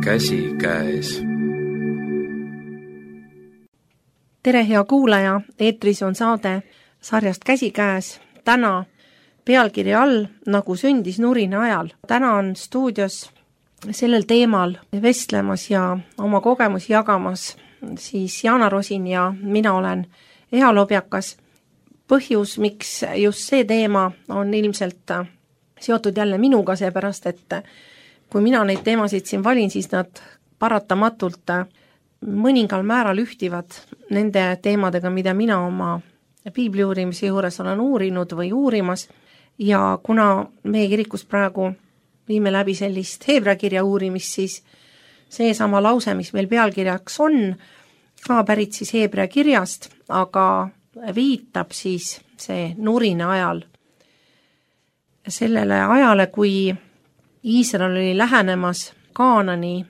käsikäes. Tere, hea kuulaja, eetris on saade sarjast Käsikäes. Täna pealkirja all Nagu sündis nurina ajal. Täna on stuudios sellel teemal vestlemas ja oma kogemusi jagamas siis Jaana Rosin ja mina olen Eha Lobjakas. Põhjus, miks just see teema on ilmselt seotud jälle minuga, seepärast, et kui mina neid teemasid siin valin, siis nad paratamatult mõningal määral ühtivad nende teemadega, mida mina oma piibli uurimise juures olen uurinud või uurimas. Ja kuna meie kirikus praegu viime läbi sellist Heebrea kirja uurimist, siis see sama lause, mis meil pealkirjaks on, ka pärit siis Heebrea kirjast, aga viitab siis see nurina ajal sellele ajale, kui Iisrael oli lähenemas Kaanani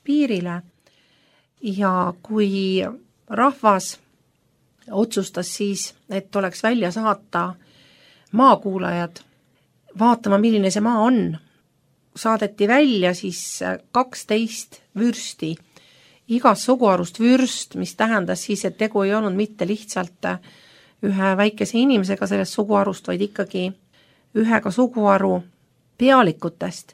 piirile ja kui rahvas otsustas siis, et oleks välja saata maakuulajad vaatama, milline see maa on. Saadeti välja siis 12 vürsti, igast suguharust vürst, mis tähendas siis, et tegu ei olnud mitte lihtsalt ühe väikese inimesega sellest suguharust, vaid ikkagi ühega suguharu pealikutest.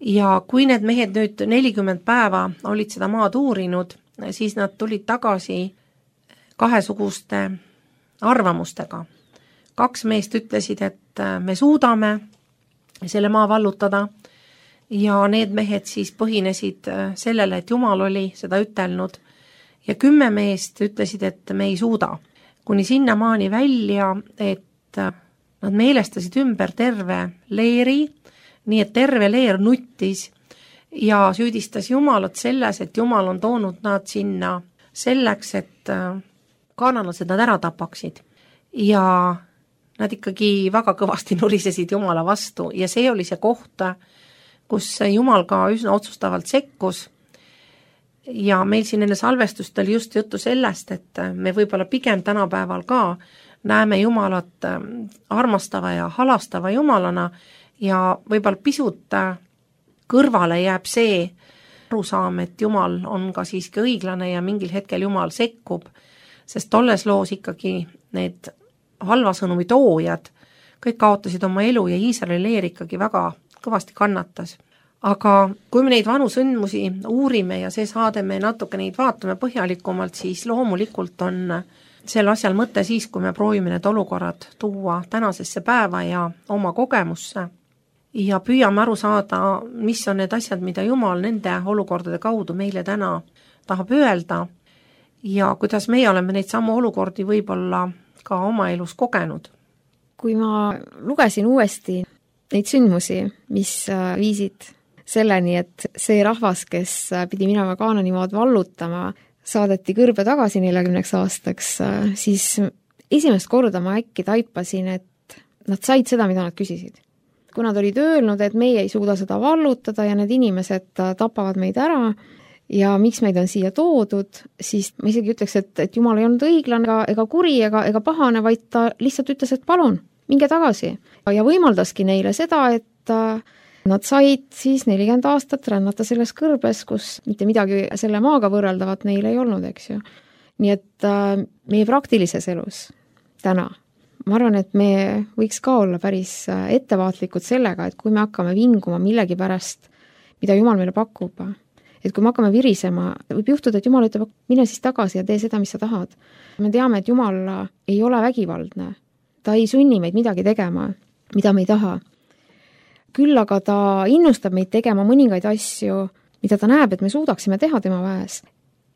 Ja kui need mehed nüüd 40 päeva olid seda maad uurinud, siis nad tulid tagasi kahesuguste arvamustega. 2 meest ütlesid, et me suudame selle maa vallutada ja need mehed siis põhinesid sellele, et Jumal oli seda ütelnud ja 10 meest ütlesid, et me ei suuda. Kuni sinnamaani välja, et nad meelestasid ümber terve leeri, nii et terve leer nuttis ja süüdistas Jumalat selles, et Jumal on toonud nad sinna selleks, et kaanalased nad ära tapaksid. Ja nad ikkagi väga kõvasti nurisesid Jumala vastu ja see oli see koht, kus Jumal ka üsna otsustavalt sekkus. Ja meil siin enne salvestust oli just juttu sellest, et me võib-olla pigem tänapäeval ka näeme Jumalat armastava ja halastava Jumalana ja võib-olla pisut kõrvale jääb see arusaam, et Jumal on ka siiski õiglane ja mingil hetkel Jumal sekkub, sest tolles loos ikkagi need halva sõnumi toojad kõik kaotasid oma elu ja Iisraeli leer ikkagi väga kõvasti kannatas. Aga kui me neid vanu sündmusi uurime ja see saade me natuke neid vaatame põhjalikumalt, siis loomulikult on sel asjal mõte siis, kui me proovime need olukorrad tuua tänasesse päeva ja oma kogemusse ja püüame aru saada, mis on need asjad, mida Jumal nende olukordade kaudu meile täna tahab öelda ja kuidas meie oleme neid samu olukordi võib-olla ka oma elus kogenud. Kui ma lugesin uuesti neid sündmusi, mis viisid selleni, et see rahvas, kes pidi minema Kaanani maad vallutama, saadeti kõrbe tagasi 40 aastaks, siis esimest korda ma äkki taipasin, et nad said seda, mida nad küsisid. Kui nad olid öelnud, et meie ei suuda seda vallutada ja need inimesed tapavad meid ära ja miks meid on siia toodud, siis ma isegi ütleks, et Jumal ei olnud õiglane ega kuri ega pahane, vaid ta lihtsalt ütles, et palun, minge tagasi. Ja võimaldaski neile seda, et nad said siis 40 aastat rännata selles kõrbes, kus mitte midagi selle maaga võrreldavat neil ei olnud, eks ju. Nii et meie praktilises elus täna, ma arvan, et me võiks ka olla päris ettevaatlikud sellega, et kui me hakkame vinguma millegi pärast, mida Jumal meile pakub, et kui me hakkame virisema, võib juhtuda, et Jumal ütleb, mine siis tagasi ja tee seda, mis sa tahad. Me teame, et Jumal ei ole vägivaldne. Ta ei sunni meid midagi tegema, mida me ei taha. Küll aga ta innustab meid tegema mõningaid asju, mida ta näeb, et me suudaksime teha tema väes.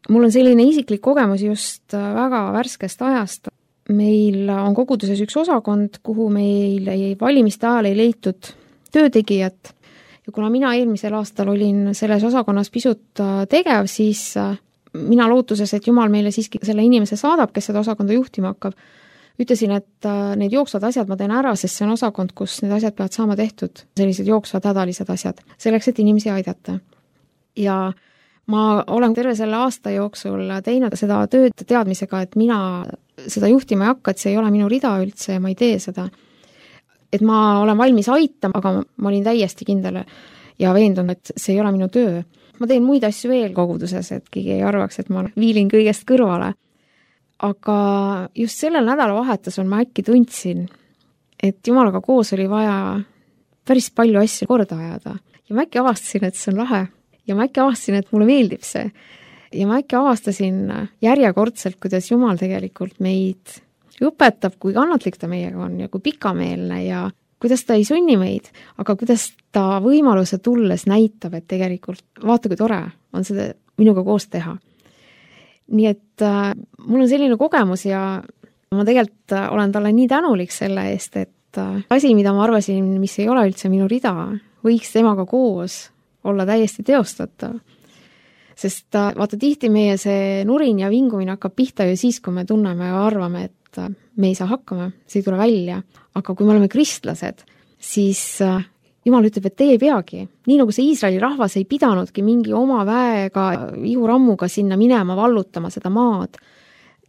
Mul on selline isiklik kogemus just väga värskest ajast. Meil on koguduses üks osakond, kuhu meil valimiste ajal ei leitud töötegijat. Ja kuna mina eelmisel aastal olin selles osakonnas pisut tegev, siis mina lootuses, et Jumal meile siiski selle inimese saadab, kes seda osakonda juhtima hakkab, ütlesin, et need jooksvad asjad ma teen ära, sest see on osakond, kus need asjad peavad saama tehtud, sellised jooksvad hädalised asjad, selleks, et inimesi aidata. Ja ma olen terve selle aasta jooksul teinud seda tööd teadmisega, et mina seda juhtima ei hakka, et see ei ole minu rida üldse ja ma ei tee seda. Et ma olen valmis aitama, aga ma olin täiesti kindel ja veendun, et see ei ole minu töö. Ma teen muid asju veel koguduses, et keegi ei arvaks, et ma viilin kõigest kõrvale. Aga just sellel nädalavahetusel ma äkki tundsin, et Jumalaga koos oli vaja päris palju asju korda ajada. Ja ma äkki avastasin, et see on lahe. Ja ma äkki avastasin, et mulle meeldib see. Ja ma äkki avastasin järjekordselt, kuidas Jumal tegelikult meid õpetab, kui kannatlik ta meiega on ja kui pikameelne ja kuidas ta ei sunni meid, aga kuidas ta võimaluse tulles näitab, et tegelikult vaata, kui tore on seda minuga koos teha. Nii et mul on selline kogemus ja ma tegelikult olen talle nii tänulik selle eest, et asi, mida ma arvasin, mis ei ole üldse minu rida, võiks temaga koos olla täiesti teostatav. Sest vaata, tihti meie see nurin ja vingumine hakkab pihta ju siis, kui me tunneme ja arvame, et me ei saa hakkama, see ei tule välja. Aga kui me oleme kristlased, siis Jumal ütleb, et teie ei peagi. Nii nagu see Iisraeli rahvas ei pidanudki mingi oma väega, ihurammuga sinna minema, vallutama seda maad.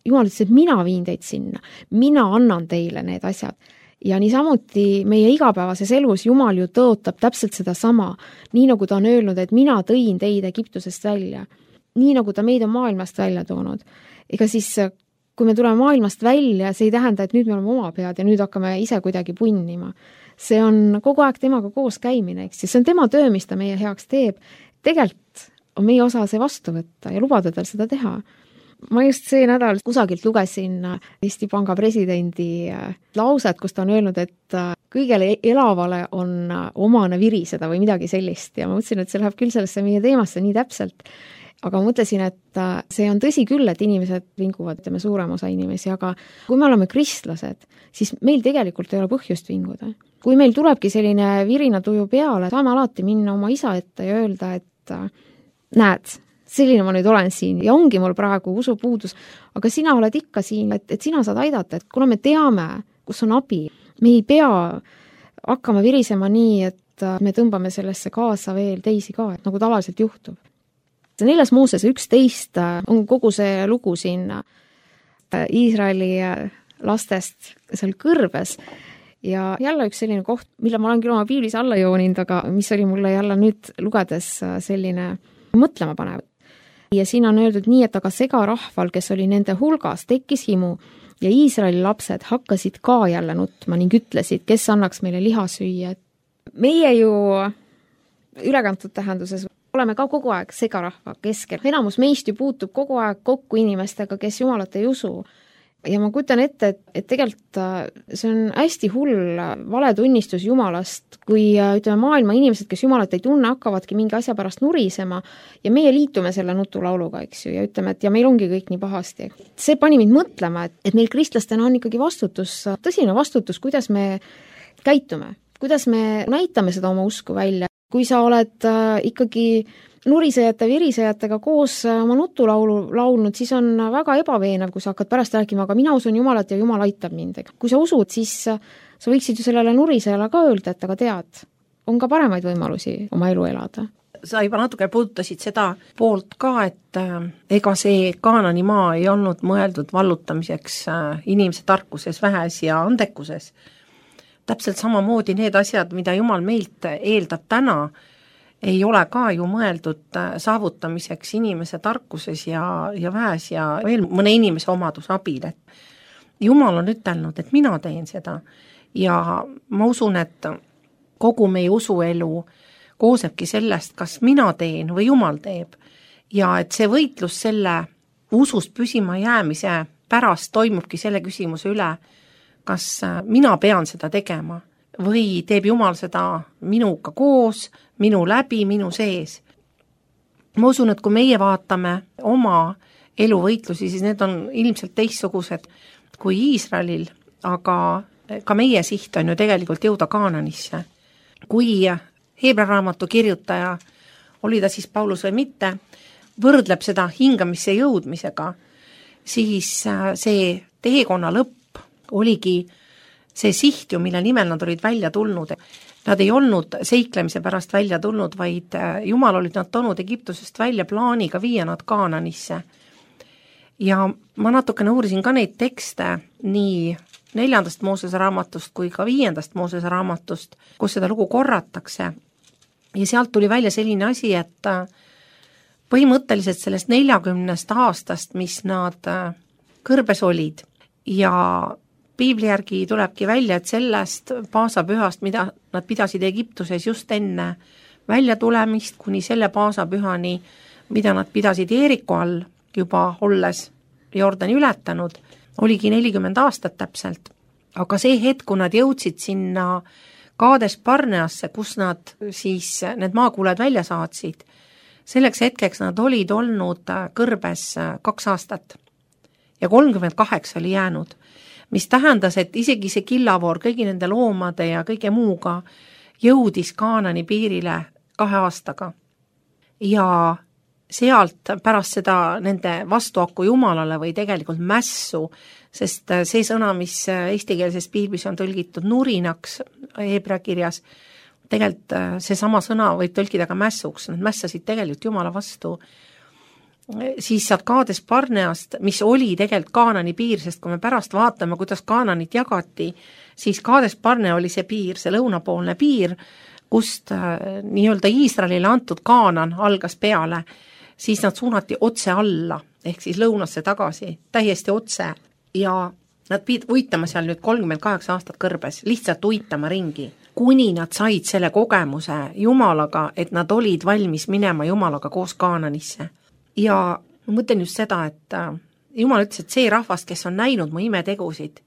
Jumal ütles, et mina viin teid sinna. Mina annan teile need asjad. Ja niisamuti meie igapäevases elus Jumal ju tõotab täpselt seda sama. Nii nagu ta on öelnud, et mina tõin teid Egiptusest välja. Nii nagu ta meid on maailmast välja toonud. Ega siis, kui me tuleme maailmast välja, see ei tähenda, et nüüd me oleme oma pead ja nüüd hakkame ise kuidagi punnima. See on kogu aeg temaga koos käimine, eks? See on tema töö, mis ta meie heaks teeb. Tegelikult on meie osa see vastu võtta ja lubada tal seda teha. Ma just see nädal kusagilt lugesin Eesti Panga presidendi lauset, kus ta on öelnud, et kõigele elavale on omane viriseda või midagi sellist. Ja ma mõtlesin, et see läheb küll sellesse meie teemasse nii täpselt. Aga mõtlesin, et see on tõsi küll, et inimesed vinguvad, ütleme suurem osa inimesi, aga kui me oleme kristlased, siis meil tegelikult ei ole põhjust vinguda. Kui meil tulebki selline virinatuju peale, saame alati minna oma isa ette ja öelda, et näed, selline ma nüüd olen siin ja ongi mul praegu usupuudus, aga sina oled ikka siin, et sina saad aidata, et kuna me teame, kus on abi, me ei pea hakkama virisema nii, et me tõmbame sellesse kaasa veel teisi ka, et nagu tavaliselt juhtub. 4. Moosese 11 on kogu see lugu siin Iisraeli lastest seal kõrbes ja jälle üks selline koht, mille ma olen küll oma piiblis alla jooninud, aga mis oli mulle jälle nüüd lugedes selline mõtlema panev. Ja siin on öeldud nii, et aga segarahval, kes oli nende hulgas, tekkis himu ja Iisraeli lapsed hakkasid ka jälle nutma ning ütlesid, kes annaks meile liha süüa. Meie ju ülekantud tähenduses oleme ka kogu aeg segarahva keskel. Enamus meist ju puutub kogu aeg kokku inimestega, kes Jumalat ei usu. Ja ma kujutan ette, et tegelikult see on hästi hull valetunnistus Jumalast, kui ütleme maailma inimesed, kes Jumalat ei tunne, hakkavadki mingi asja pärast nurisema ja meie liitume selle nutulauluga, eks ju, ja ütleme, et ja meil ongi kõik nii pahasti. See pani mind mõtlema, et meil kristlastena on ikkagi vastutus, tõsine vastutus, kuidas me käitume, kuidas me näitame seda oma usku välja. Kui sa oled ikkagi nurisejate, virisejatega koos oma nutulaulu laulnud, siis on väga ebaveenev, kui sa hakkad pärast rääkima, aga mina usun Jumalat ja Jumal aitab mind. Kui sa usud, siis sa võiksid ju sellele nurisejale ka öelda, et aga tead, on ka paremaid võimalusi oma elu elada. Sa juba natuke puudutasid seda poolt ka, et ega see Kaanani maa ei olnud mõeldud vallutamiseks inimese tarkuses, vähes ja andekuses. Täpselt samamoodi need asjad, mida Jumal meilt eeldab täna, ei ole ka ju mõeldud saavutamiseks inimese tarkuses ja väes ja veel mõne inimese omaduse abil. Jumal on ütelnud, et mina teen seda ja ma usun, et kogu meie usuelu koosebki sellest, kas mina teen või Jumal teeb. Ja et see võitlus selle usust püsima jäämise pärast toimubki selle küsimuse üle, kas mina pean seda tegema või teeb Jumal seda minuga koos, minu läbi, minu sees. Ma usun, et kui meie vaatame oma eluvõitlusi, siis need on ilmselt teistsugused kui Iisraelil, aga ka meie siht on ju tegelikult jõuda Kaananisse. Kui Heebra raamatu kirjutaja, oli ta siis Paulus või mitte, võrdleb seda hingamisse jõudmisega, siis see teekonna lõpp oligi see siht ju, mille nimel nad olid välja tulnud. Nad ei olnud seiklemise pärast välja tulnud, vaid Jumal olid nad toonud Egiptusest välja plaaniga viia nad Kaananisse. Ja ma natukene uurisin ka neid tekste nii 4. Moosese raamatust kui ka 5. Moosese raamatust, kus seda lugu korratakse. ja sealt tuli välja selline asi, et põhimõtteliselt sellest 40 aastast, mis nad kõrbes olid ja piibli järgi tulebki välja, et sellest paasapühast, mida nad pidasid Egiptuses just enne väljatulemist, kuni selle paasapühani, mida nad pidasid Jeeriku all juba olles Jordani ületanud, oligi 40 aastat täpselt. Aga see hetk, kui nad jõudsid sinna Kaades Barneasse, kus nad siis need maakuuled välja saatsid, selleks hetkeks nad olid olnud kõrbes 2 aastat ja 38 oli jäänud, mis tähendas, et isegi see killavoor kõigi nende loomade ja kõige muuga jõudis Kaanani piirile 2 aastaga. Ja sealt pärast seda nende vastuaku Jumalale või tegelikult mässu, sest see sõna, mis eestikeelses piiblis on tõlgitud nurinaks heebrea kirjas, tegelikult see sama sõna võib tõlkida ka mässuks, nad mässasid tegelikult Jumala vastu. Siis saad Kaades Barneast, mis oli tegelikult Kaanani piir, sest kui me pärast vaatame, kuidas Kaananit jagati, siis Kaades Barne oli see piir, see lõunapoolne piir, kust nii-öelda Iisraelile antud Kaanan algas peale, siis nad suunati otse alla, ehk siis lõunasse tagasi, täiesti otse ja nad pidid uitama seal nüüd 38 aastat kõrbes, lihtsalt uitama ringi, kuni nad said selle kogemuse Jumalaga, et nad olid valmis minema Jumalaga koos Kaananisse. Ja ma mõtlen just seda, et Jumal ütles, et see rahvas, kes on näinud mu imetegusid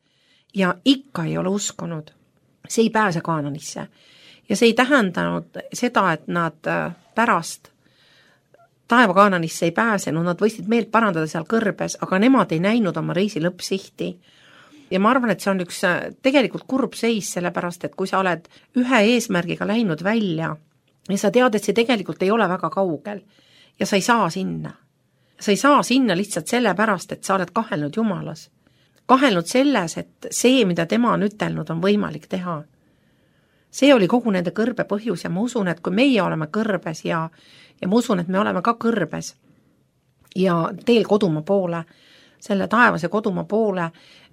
ja ikka ei ole uskunud, see ei pääse Kaananisse. Ja see ei tähendanud seda, et nad pärast taeva Kaananisse ei pääsenud, nad võisid meelt parandada seal kõrbes, aga nemad ei näinud oma reisi lõppsihti. Ja ma arvan, et see on üks tegelikult kurb seis, sellepärast, et kui sa oled ühe eesmärgiga läinud välja ja sa tead, et see tegelikult ei ole väga kaugel ja sa ei saa sinna. Sa ei saa sinna lihtsalt sellepärast, et sa oled kahelnud Jumalas. Kahelnud selles, et see, mida tema on ütelnud, on võimalik teha. See oli kogu nende kõrbe põhjus ja ma usun, et kui meie oleme kõrbes ja ma usun, et me oleme ka kõrbes ja teel kodumaa poole, selle taevase kodumaa poole,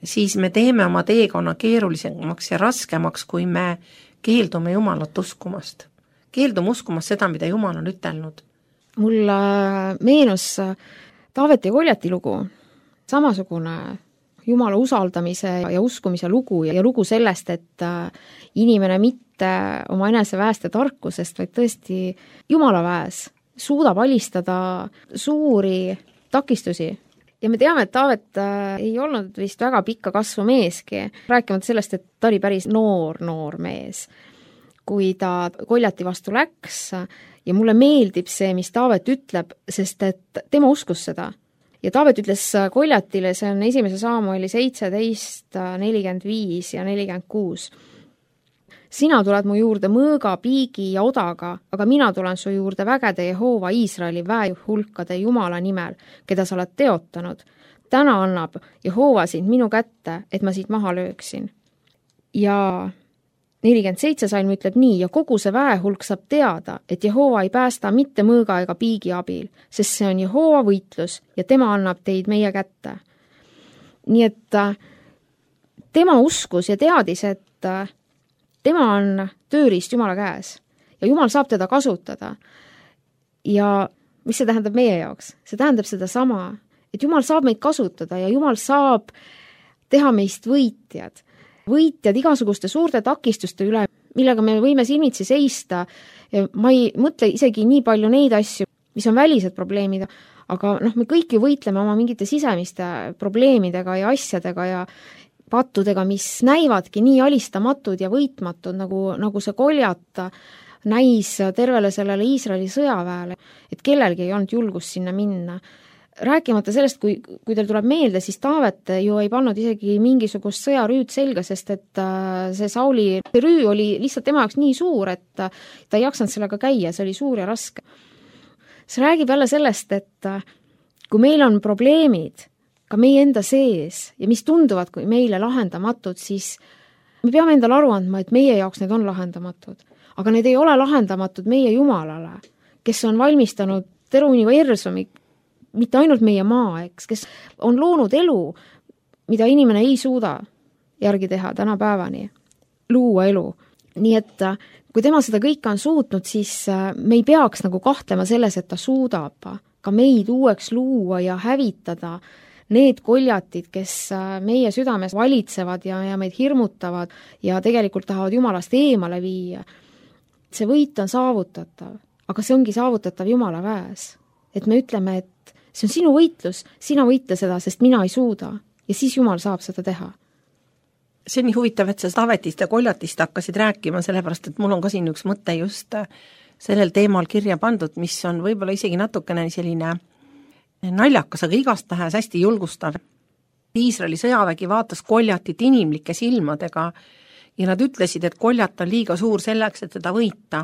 siis me teeme oma teekonna keerulisemaks ja raskemaks, kui me keeldume Jumalat uskumast. Keeldume uskumast seda, mida Jumal on ütelnud. Mul meenus Taaveti ja Koljati lugu, samasugune Jumala usaldamise ja uskumise lugu ja lugu sellest, et inimene mitte oma enese väest ja tarkusest, vaid tõesti Jumala väes suudab alistada suuri takistusi. Ja me teame, et Taavet ei olnud vist väga pikka kasvu meeski, rääkimata sellest, et ta oli päris noor mees, kui ta Koljati vastu läks ja mulle meeldib see, mis Taavet ütleb, sest et tema uskus seda. Ja Taavet ütles Koljatile, see on 1. Saamueli 17, 45 ja 46. Sina tuled mu juurde mõõga, piigi ja odaga, aga mina tulen su juurde vägede Jehova Iisraeli väehulkade Jumala nimel, keda sa oled teotanud. Täna annab Jehova sind minu kätte, et ma siit maha lööksin. Ja 47 salm ütleb nii, ja kogu see väehulk saab teada, et Jehova ei päästa mitte mõõga ega piigi abil, sest see on Jehova võitlus ja tema annab teid meie kätte. Nii et tema uskus ja teadis, et tema on tööriist Jumala käes ja Jumal saab teda kasutada. Ja mis see tähendab meie jaoks? See tähendab seda sama, et Jumal saab meid kasutada ja Jumal saab teha meist võitjad igasuguste suurte takistuste üle, millega me võime silmitsi seista. Ma ei mõtle isegi nii palju neid asju, mis on välised probleemid, aga me kõik ju võitleme oma mingite sisemiste probleemidega ja asjadega ja pattudega, mis näivadki nii alistamatud ja võitmatud, nagu see Koljat näis tervele sellele Iisraeli sõjaväele, et kellelgi ei olnud julgust sinna minna. Rääkimata sellest, kui teil tuleb meelde, siis Taavet ju ei pannud isegi mingisugust sõjarüüd selga, sest et see Sauli rüü oli lihtsalt tema jaoks nii suur, et ta ei jaksanud sellega käia, see oli suur ja raske. See räägib jälle sellest, et kui meil on probleemid ka meie enda sees ja mis tunduvad kui meile lahendamatud, siis me peame endale aru andma, et meie jaoks need on lahendamatud. Aga need ei ole lahendamatud meie Jumalale, kes on valmistanud terve universumi, mitte ainult meie maa, kes on loonud elu, mida inimene ei suuda järgi teha tänapäevani, luua elu. nii et kui tema seda kõike on suutnud, siis me ei peaks nagu kahtlema selles, et ta suudab ka meid uueks luua ja hävitada need koljatid, kes meie südames valitsevad ja meid hirmutavad ja tegelikult tahavad Jumalast eemale viia. See võit on saavutatav, aga see ongi saavutatav Jumala käes. Et me ütleme, et see on sinu võitlus, sina võitle seda, sest mina ei suuda ja siis Jumal saab seda teha. See on nii huvitav, et sa Taavetist ja koljatist hakkasid rääkima, sellepärast et mul on ka siin üks mõte just sellel teemal kirja pandud, mis on võib-olla isegi natukene selline naljakas, aga igastahes hästi julgustav. Iisraeli sõjavägi vaatas koljatit inimlike silmadega ja nad ütlesid, et koljat on liiga suur selleks, et teda võita.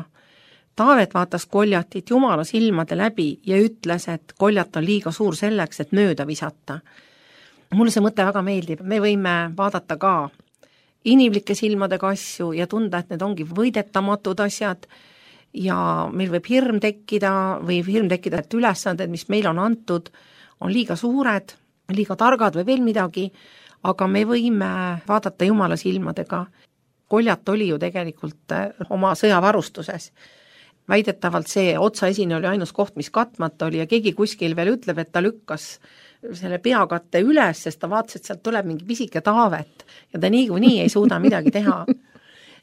Taavet vaatas koljatit Jumala silmade läbi ja ütles, et koljat on liiga suur selleks, et mööda visata. Mulle see mõte väga meeldib, me võime vaadata ka inimlike silmadega asju ja tunda, et need ongi võidetamatud asjad ja meil võib hirm tekkida, et ülesanded, mis meil on antud, on liiga suured, liiga targad või veel midagi, aga me võime vaadata Jumala silmadega. Koljat oli ju tegelikult oma sõjavarustuses. Väidetavalt see otsaesine oli ainus koht, mis katmata oli ja keegi kuskil veel ütleb, et ta lükkas selle peakatte üles, sest ta vaatas, et sealt tuleb mingi pisike Taavet ja ta niikuinii ei suuda midagi teha.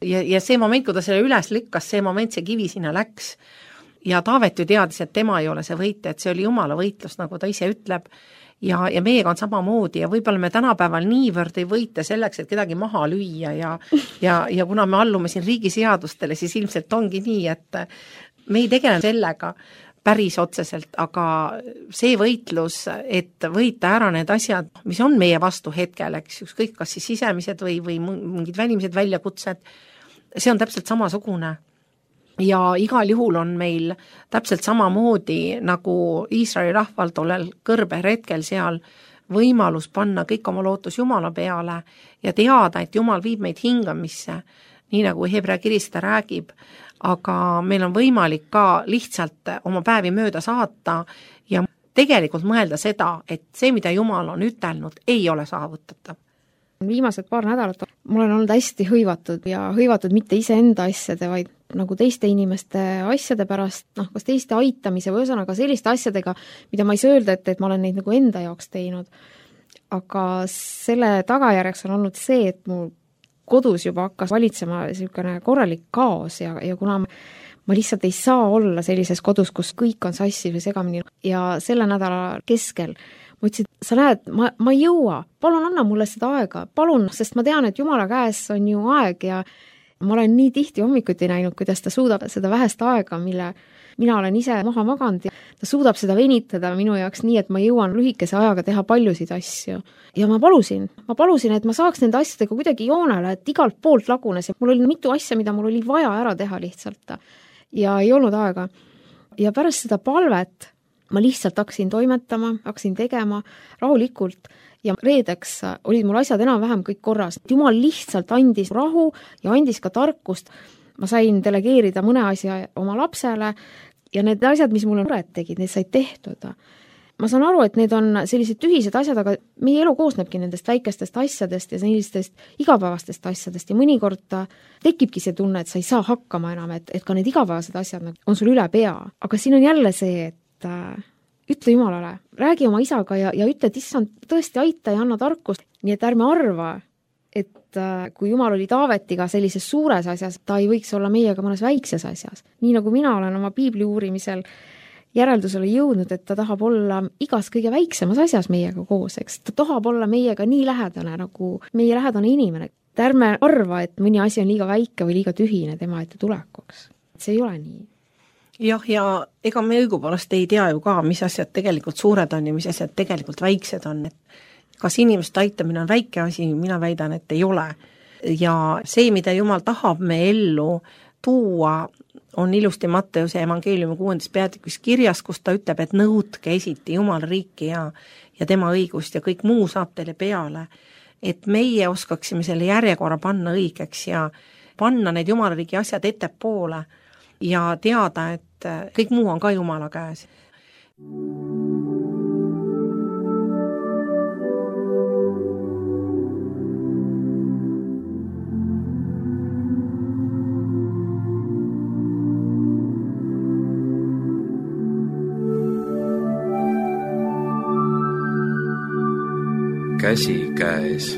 Ja see moment, kui ta selle üles lükkas, see moment, see kivi sinna läks. Ja Taavet ju teadis, et tema ei ole see võitja, et see oli Jumala võitlus, nagu ta ise ütleb. Ja meiega on samamoodi ja võib-olla me tänapäeval niivõrd ei võite selleks, et kedagi maha lüüa ja kuna me allume siin riigi seadustele, siis ilmselt ongi nii, et me ei tegele sellega päris otseselt, aga see võitlus, et võita ära need asjad, mis on meie vastu hetkel, eks ükskõik kas siis sisemised või mingid välimised väljakutsed, see on täpselt samasugune. Ja igal juhul on meil täpselt samamoodi nagu Iisraeli rahval tollel kõrber hetkel seal võimalus panna kõik oma lootus Jumala peale ja teada, et Jumal viib meid hingamisse, nii nagu Hebra kiri seda räägib, aga meil on võimalik ka lihtsalt oma päevi mööda saata ja tegelikult mõelda seda, et see, mida Jumal on ütelnud, ei ole saavutatav. Viimased paar nädalat mul on olnud hästi hõivatud ja hõivatud mitte iseenda asjade, vaid nagu teiste inimeste asjade pärast, kas teiste aitamise või ühesõnaga selliste asjadega, mida ma ei saa öelda, et ma olen neid nagu enda jaoks teinud. Aga selle tagajärjeks on olnud see, et mu kodus juba hakkas valitsema selline korralik kaos ja kuna ma lihtsalt ei saa olla sellises kodus, kus kõik on sassi või segamini ja selle nädala keskel ma ütlesin, sa näed, ma ei jõua, palun anna mulle seda aega, palun, sest ma tean, et Jumala käes on ju aeg ja ma olen nii tihti hommikuti näinud, kuidas ta suudab seda vähest aega, mille mina olen ise maha maganud ja ta suudab seda venitada minu jaoks nii, et ma jõuan lühikese ajaga teha paljusid asju. Ja ma palusin, et ma saaks nende asjadega kuidagi joonele, et igalt poolt lagunes ja mul oli mitu asja, mida mul oli vaja ära teha lihtsalt ja ei olnud aega. Ja pärast seda palvet ma lihtsalt hakkasin toimetama, hakkasin tegema rahulikult ja reedeks olid mul asjad enam-vähem kõik korras. Jumal lihtsalt andis rahu ja andis ka tarkust. Ma sain delegeerida mõne asja oma lapsele ja need asjad, mis mulle muret tegid, need said tehtud. Ma saan aru, et need on sellised tühised asjad, aga meie elu koosnebki nendest väikestest asjadest ja sellistest igapäevastest asjadest ja mõnikord tekibki see tunne, et sa ei saa hakkama enam, et ka need igapäevased asjad on sul üle pea. Aga siin on jälle see, et ütle Jumalale, räägi oma isaga ja ütle, et issand tõesti aita ja anna tarkust. Nii et ärme arva, et kui Jumal oli Taavetiga sellises suures asjas, ta ei võiks olla meiega mõnes väikses asjas. Nii nagu mina olen oma piibli uurimisel järeldusele jõudnud, et ta tahab olla igas kõige väiksemas asjas meiega koos, eks. Ta tahab olla meiega nii lähedane nagu meie lähedane inimene. Ärme arva, et mõni asi on liiga väike või liiga tühine tema ette tulekuks. See ei ole nii. Jah, ja ega me õigupoolest ei tea ju ka, mis asjad tegelikult suured on ja mis asjad tegelikult väiksed on. Kas inimeste aitamine on väike asi, mina väidan, et ei ole. Ja see, mida Jumal tahab me ellu tuua, on ilusti Matteuse evangeeliumi 6. peatükis kirjas, kus ta ütleb, et nõudke esiti Jumala riiki ja tema õigust ja kõik muu saab teile peale. Et meie oskaksime selle järjekorra panna õigeks ja panna need Jumala riigi asjad ettepoole ja teada, et kõik muu on ka Jumala käes. käsi käes.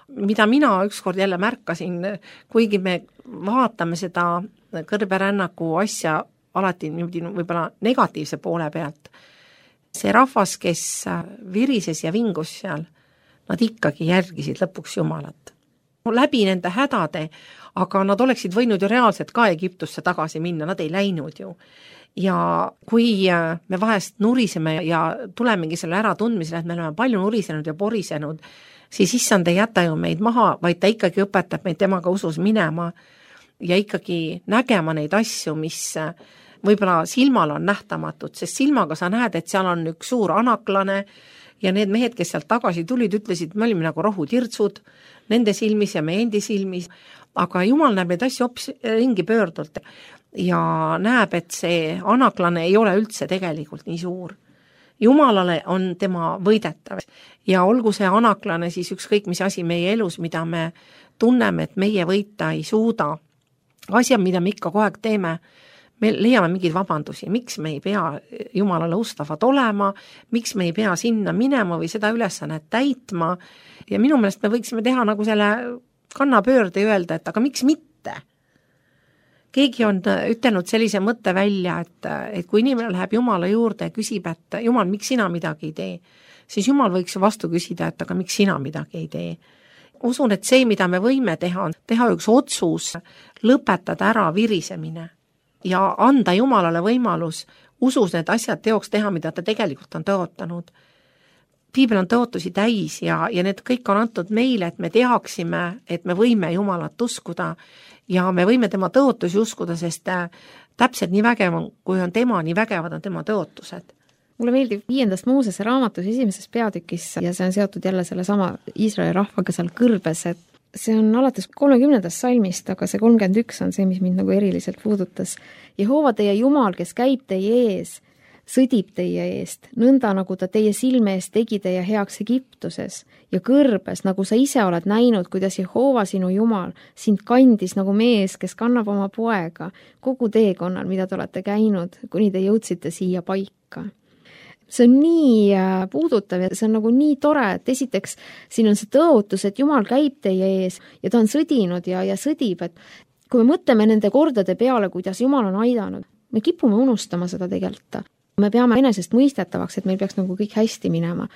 Mida mina ükskord jälle märkasin, kuigi me vaatame seda kõrberännaku asja alati niimoodi võib-olla negatiivse poole pealt, see rahvas, kes virises ja vingus seal, nad ikkagi järgisid lõpuks Jumalat. Läbi nende hädade, aga nad oleksid võinud ju reaalselt ka Egiptusse tagasi minna, nad ei läinud ju. Ja kui me vahest nuriseme ja tulemegi selle äratundmisele, et me oleme palju nurisenud ja porisenud, siis issand ei jäta ju meid maha, vaid ta ikkagi õpetab meid temaga usus minema ja ikkagi nägema neid asju, mis võib-olla silmal on nähtamatud, sest silmaga sa näed, et seal on üks suur anaklane ja need mehed, kes sealt tagasi tulid, ütlesid, me olime nagu rohutirtsud nende silmis ja meie endi silmis, aga Jumal näeb neid asju hoopis ringi pöördult ja näeb, et see anaklane ei ole üldse tegelikult nii suur. Jumalale on tema võidetav ja olgu see anaklane siis ükskõik mis asi meie elus, mida me tunneme, et meie võita ei suuda. Asjad, mida me ikka kogu aeg teeme, me leiame mingeid vabandusi, miks me ei pea Jumalale ustavad olema, miks me ei pea sinna minema või seda ülesannet täitma ja minu meelest me võiksime teha nagu selle kannapöörde ja öelda, et aga miks mitte? Keegi on ütelnud sellise mõtte välja, et kui inimene läheb Jumala juurde ja küsib, et Jumal, miks sina midagi ei tee, siis Jumal võiks vastu küsida, et aga miks sina midagi ei tee. Usun, et see, mida me võime teha, on teha üks otsus, lõpetada ära virisemine ja anda Jumalale võimalus usus need asjad teoks teha, mida ta tegelikult on tõotanud. Piibel on tõotusi täis ja need kõik on antud meile, et me teaksime, et me võime Jumalat uskuda ja me võime tema tõotusi uskuda, sest täpselt nii vägev on, kui on tema, nii vägevad on tema tõotused. Mulle meeldib 5. Moosese raamatus 1. peatükis ja see on seotud jälle selle sama Iisraeli rahvaga seal kõrbes, et see on alates 30. salmist, aga see 31 on see, mis mind nagu eriliselt puudutas. Jehova teie Jumal, kes käib teie ees, sõdib teie eest, nõnda nagu ta teie silme eest tegi teie heaks Egiptuses ja kõrbes, nagu sa ise oled näinud, kuidas Jehova sinu Jumal sind kandis nagu mees, kes kannab oma poega kogu teekonnal, mida te olete käinud, kuni te jõudsite siia paika. See on nii puudutav ja see on nagu nii tore, et esiteks siin on see tõotus, et Jumal käib teie ees ja ta on sõdinud ja sõdib, et kui me mõtleme nende kordade peale, kuidas Jumal on aidanud, me kipume unustama seda tegelikult. Me peame enesest mõistetavaks, et meil peaks nagu kõik hästi minema.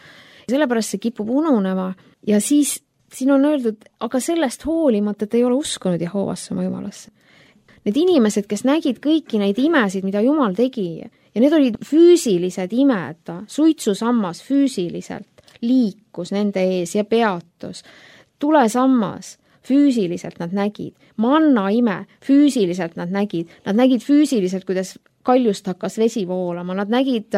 Sellepärast see kipub ununema ja siis siin on öeldud, aga sellest hoolimata te ei ole uskunud Jehovasse oma Jumalasse. Need inimesed, kes nägid kõiki neid imesid, mida Jumal tegi, ja need olid füüsilised imed, suitsusammas füüsiliselt liikus nende ees ja peatus, tulesammas füüsiliselt nad nägid, manna ime füüsiliselt nad nägid füüsiliselt, kuidas kaljust hakkas vesi voolama, nad nägid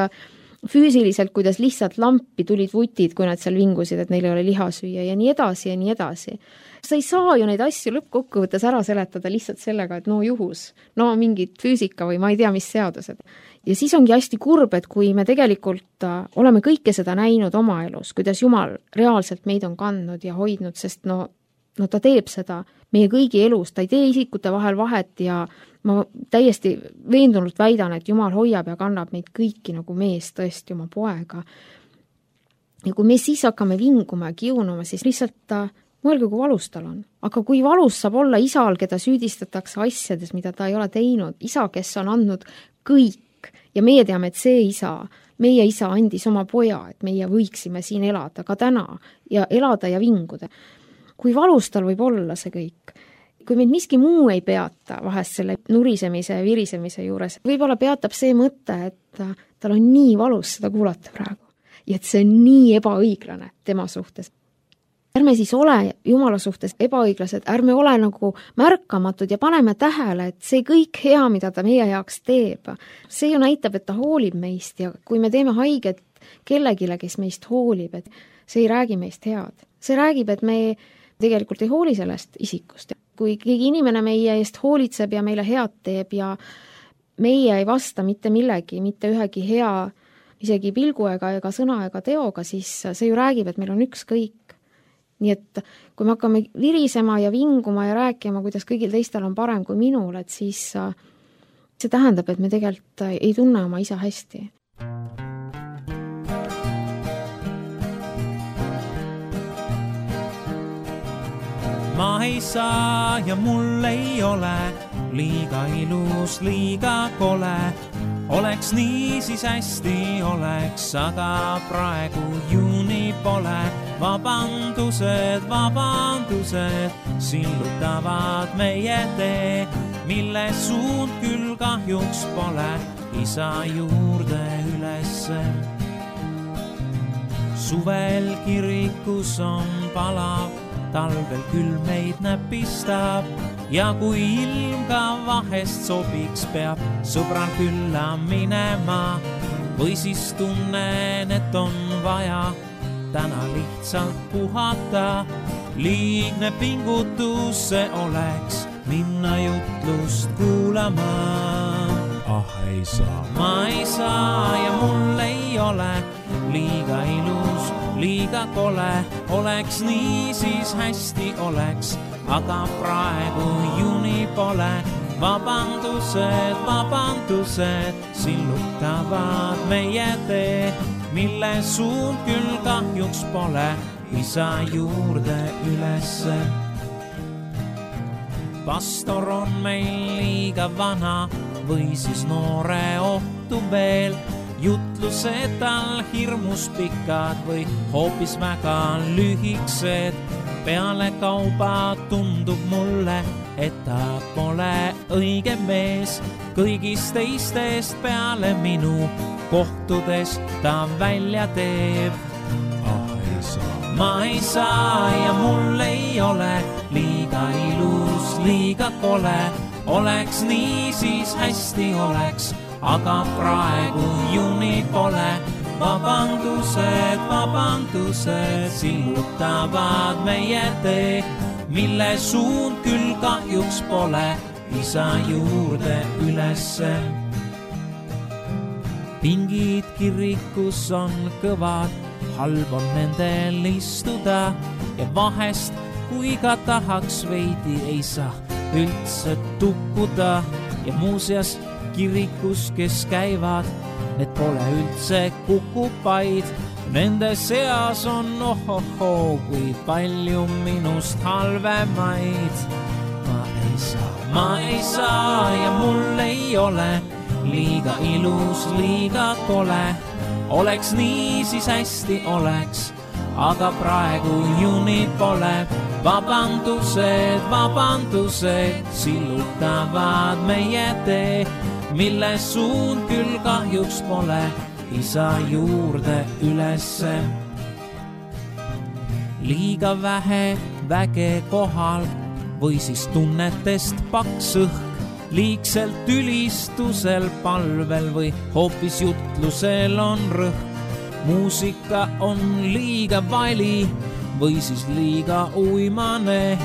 füüsiliselt, kuidas lihtsalt lampi tulid vutid, kui nad seal vingusid, et neil ei ole liha süüa ja nii edasi ja nii edasi. Sa ei saa ju neid asju lõppkokkuvõttes ära seletada lihtsalt sellega, et no juhus, no mingid füüsika või ma ei tea, mis seadused. Ja siis ongi hästi kurb, et kui me tegelikult oleme kõike seda näinud oma elus, kuidas Jumal reaalselt meid on kandnud ja hoidnud, sest no ta teeb seda meie kõigi elus, ta ei tee isikute vahel vahet ja ma täiesti veendunult väidan, et Jumal hoiab ja kannab meid kõiki nagu mees tõesti oma poega. Ja kui me siis hakkame vinguma ja kiunuma, siis lihtsalt mõelge, kui valus tal on. Aga kui valus saab olla isal, keda süüdistatakse asjades, mida ta ei ole teinud, isa, kes on andnud kõik ja meie teame, et see isa, meie isa andis oma poja, et meie võiksime siin elada ka täna ja elada ja vinguda. Kui valus tal võib olla see kõik, kui meid miski muu ei peata vahest selle nurisemise ja virisemise juures, võib-olla peatab see mõte, et tal on nii valus seda kuulata praegu ja et see on nii ebaõiglane tema suhtes. Ärme siis ole Jumala suhtes ebaõiglased, ärme ole nagu märkamatud ja paneme tähele, et see kõik hea, mida ta meie heaks teeb, see ju näitab, et ta hoolib meist ja kui me teeme haiget kellegile, kes meist hoolib, et see ei räägi meist head. See räägib, et me tegelikult ei hooli sellest isikust. Kui keegi inimene meie eest hoolitseb ja meile head teeb ja meie ei vasta mitte millegi, mitte ühegi hea, isegi pilgu ega sõna ega teoga, siis see ju räägib, et meil on ükskõik. Nii et kui me hakkame virisema ja vinguma ja rääkima, kuidas kõigil teistel on parem kui minul, et siis see tähendab, et me tegelikult ei tunne oma isa hästi. ma ei saa ja mul ei ole liiga ilus, liiga kole. Oleks nii, siis hästi oleks, aga praegu juuni pole. Vabandused, sillutavad meie tee, mille suund küll kahjuks pole isa juurde ülesse. Suvel kirikus on palav, talvel küll meid näpistab ja kui ilm ka vahest sobiks, peab sõbral külla minema või siis tunnen, et on vaja täna lihtsalt puhata. Liigne pingutus see oleks minna jutlust kuulama. Ei saa. Ma ei saa ja mul ei ole liiga ilus, liiga kole. Oleks nii, siis hästi oleks, aga praegu juuni pole. Vabandused, sillutavad meie tee, mille suund küll kahjuks pole isa juurde ülesse. Pastor on meil liiga vana või siis noore ohtu veel. Jutlused tal hirmus pikad või hoopis väga lühiksed. Peale kauba tundub mulle, et ta pole õige mees. Kõigist teistest peale minu kohtudes ta välja teeb. Ma ei saa ja mul ei ole liiga ilus, liiga kole. Oleks nii, siis hästi oleks, aga praegu juuni pole. Vabandused, sillutavad meie tee, mille suund küll kahjuks pole isa juurde ülesse. Pingid kirikus on kõvad, halb on nendel istuda ja vahest, kui ka tahaks veidi, ei saa üldse tukkuda. Ja muuseas kirikus, kes käivad, need pole üldse kukupaid. Nende seas on kui palju minust halvemaid. Ma ei saa ja mul ei ole liiga ilus, liiga kole. Oleks nii, siis hästi oleks, aga praegu juuni pole. Vabandused, sillutavad meie tee, mille suund küll kahjuks pole isa juurde ülesse. Liiga vähe väge kohal või siis tunnetest paks õhk, liigselt ülistusel, palvel või hoopis jutlusel on rõhk. Muusika on liiga vali või siis liiga uimane,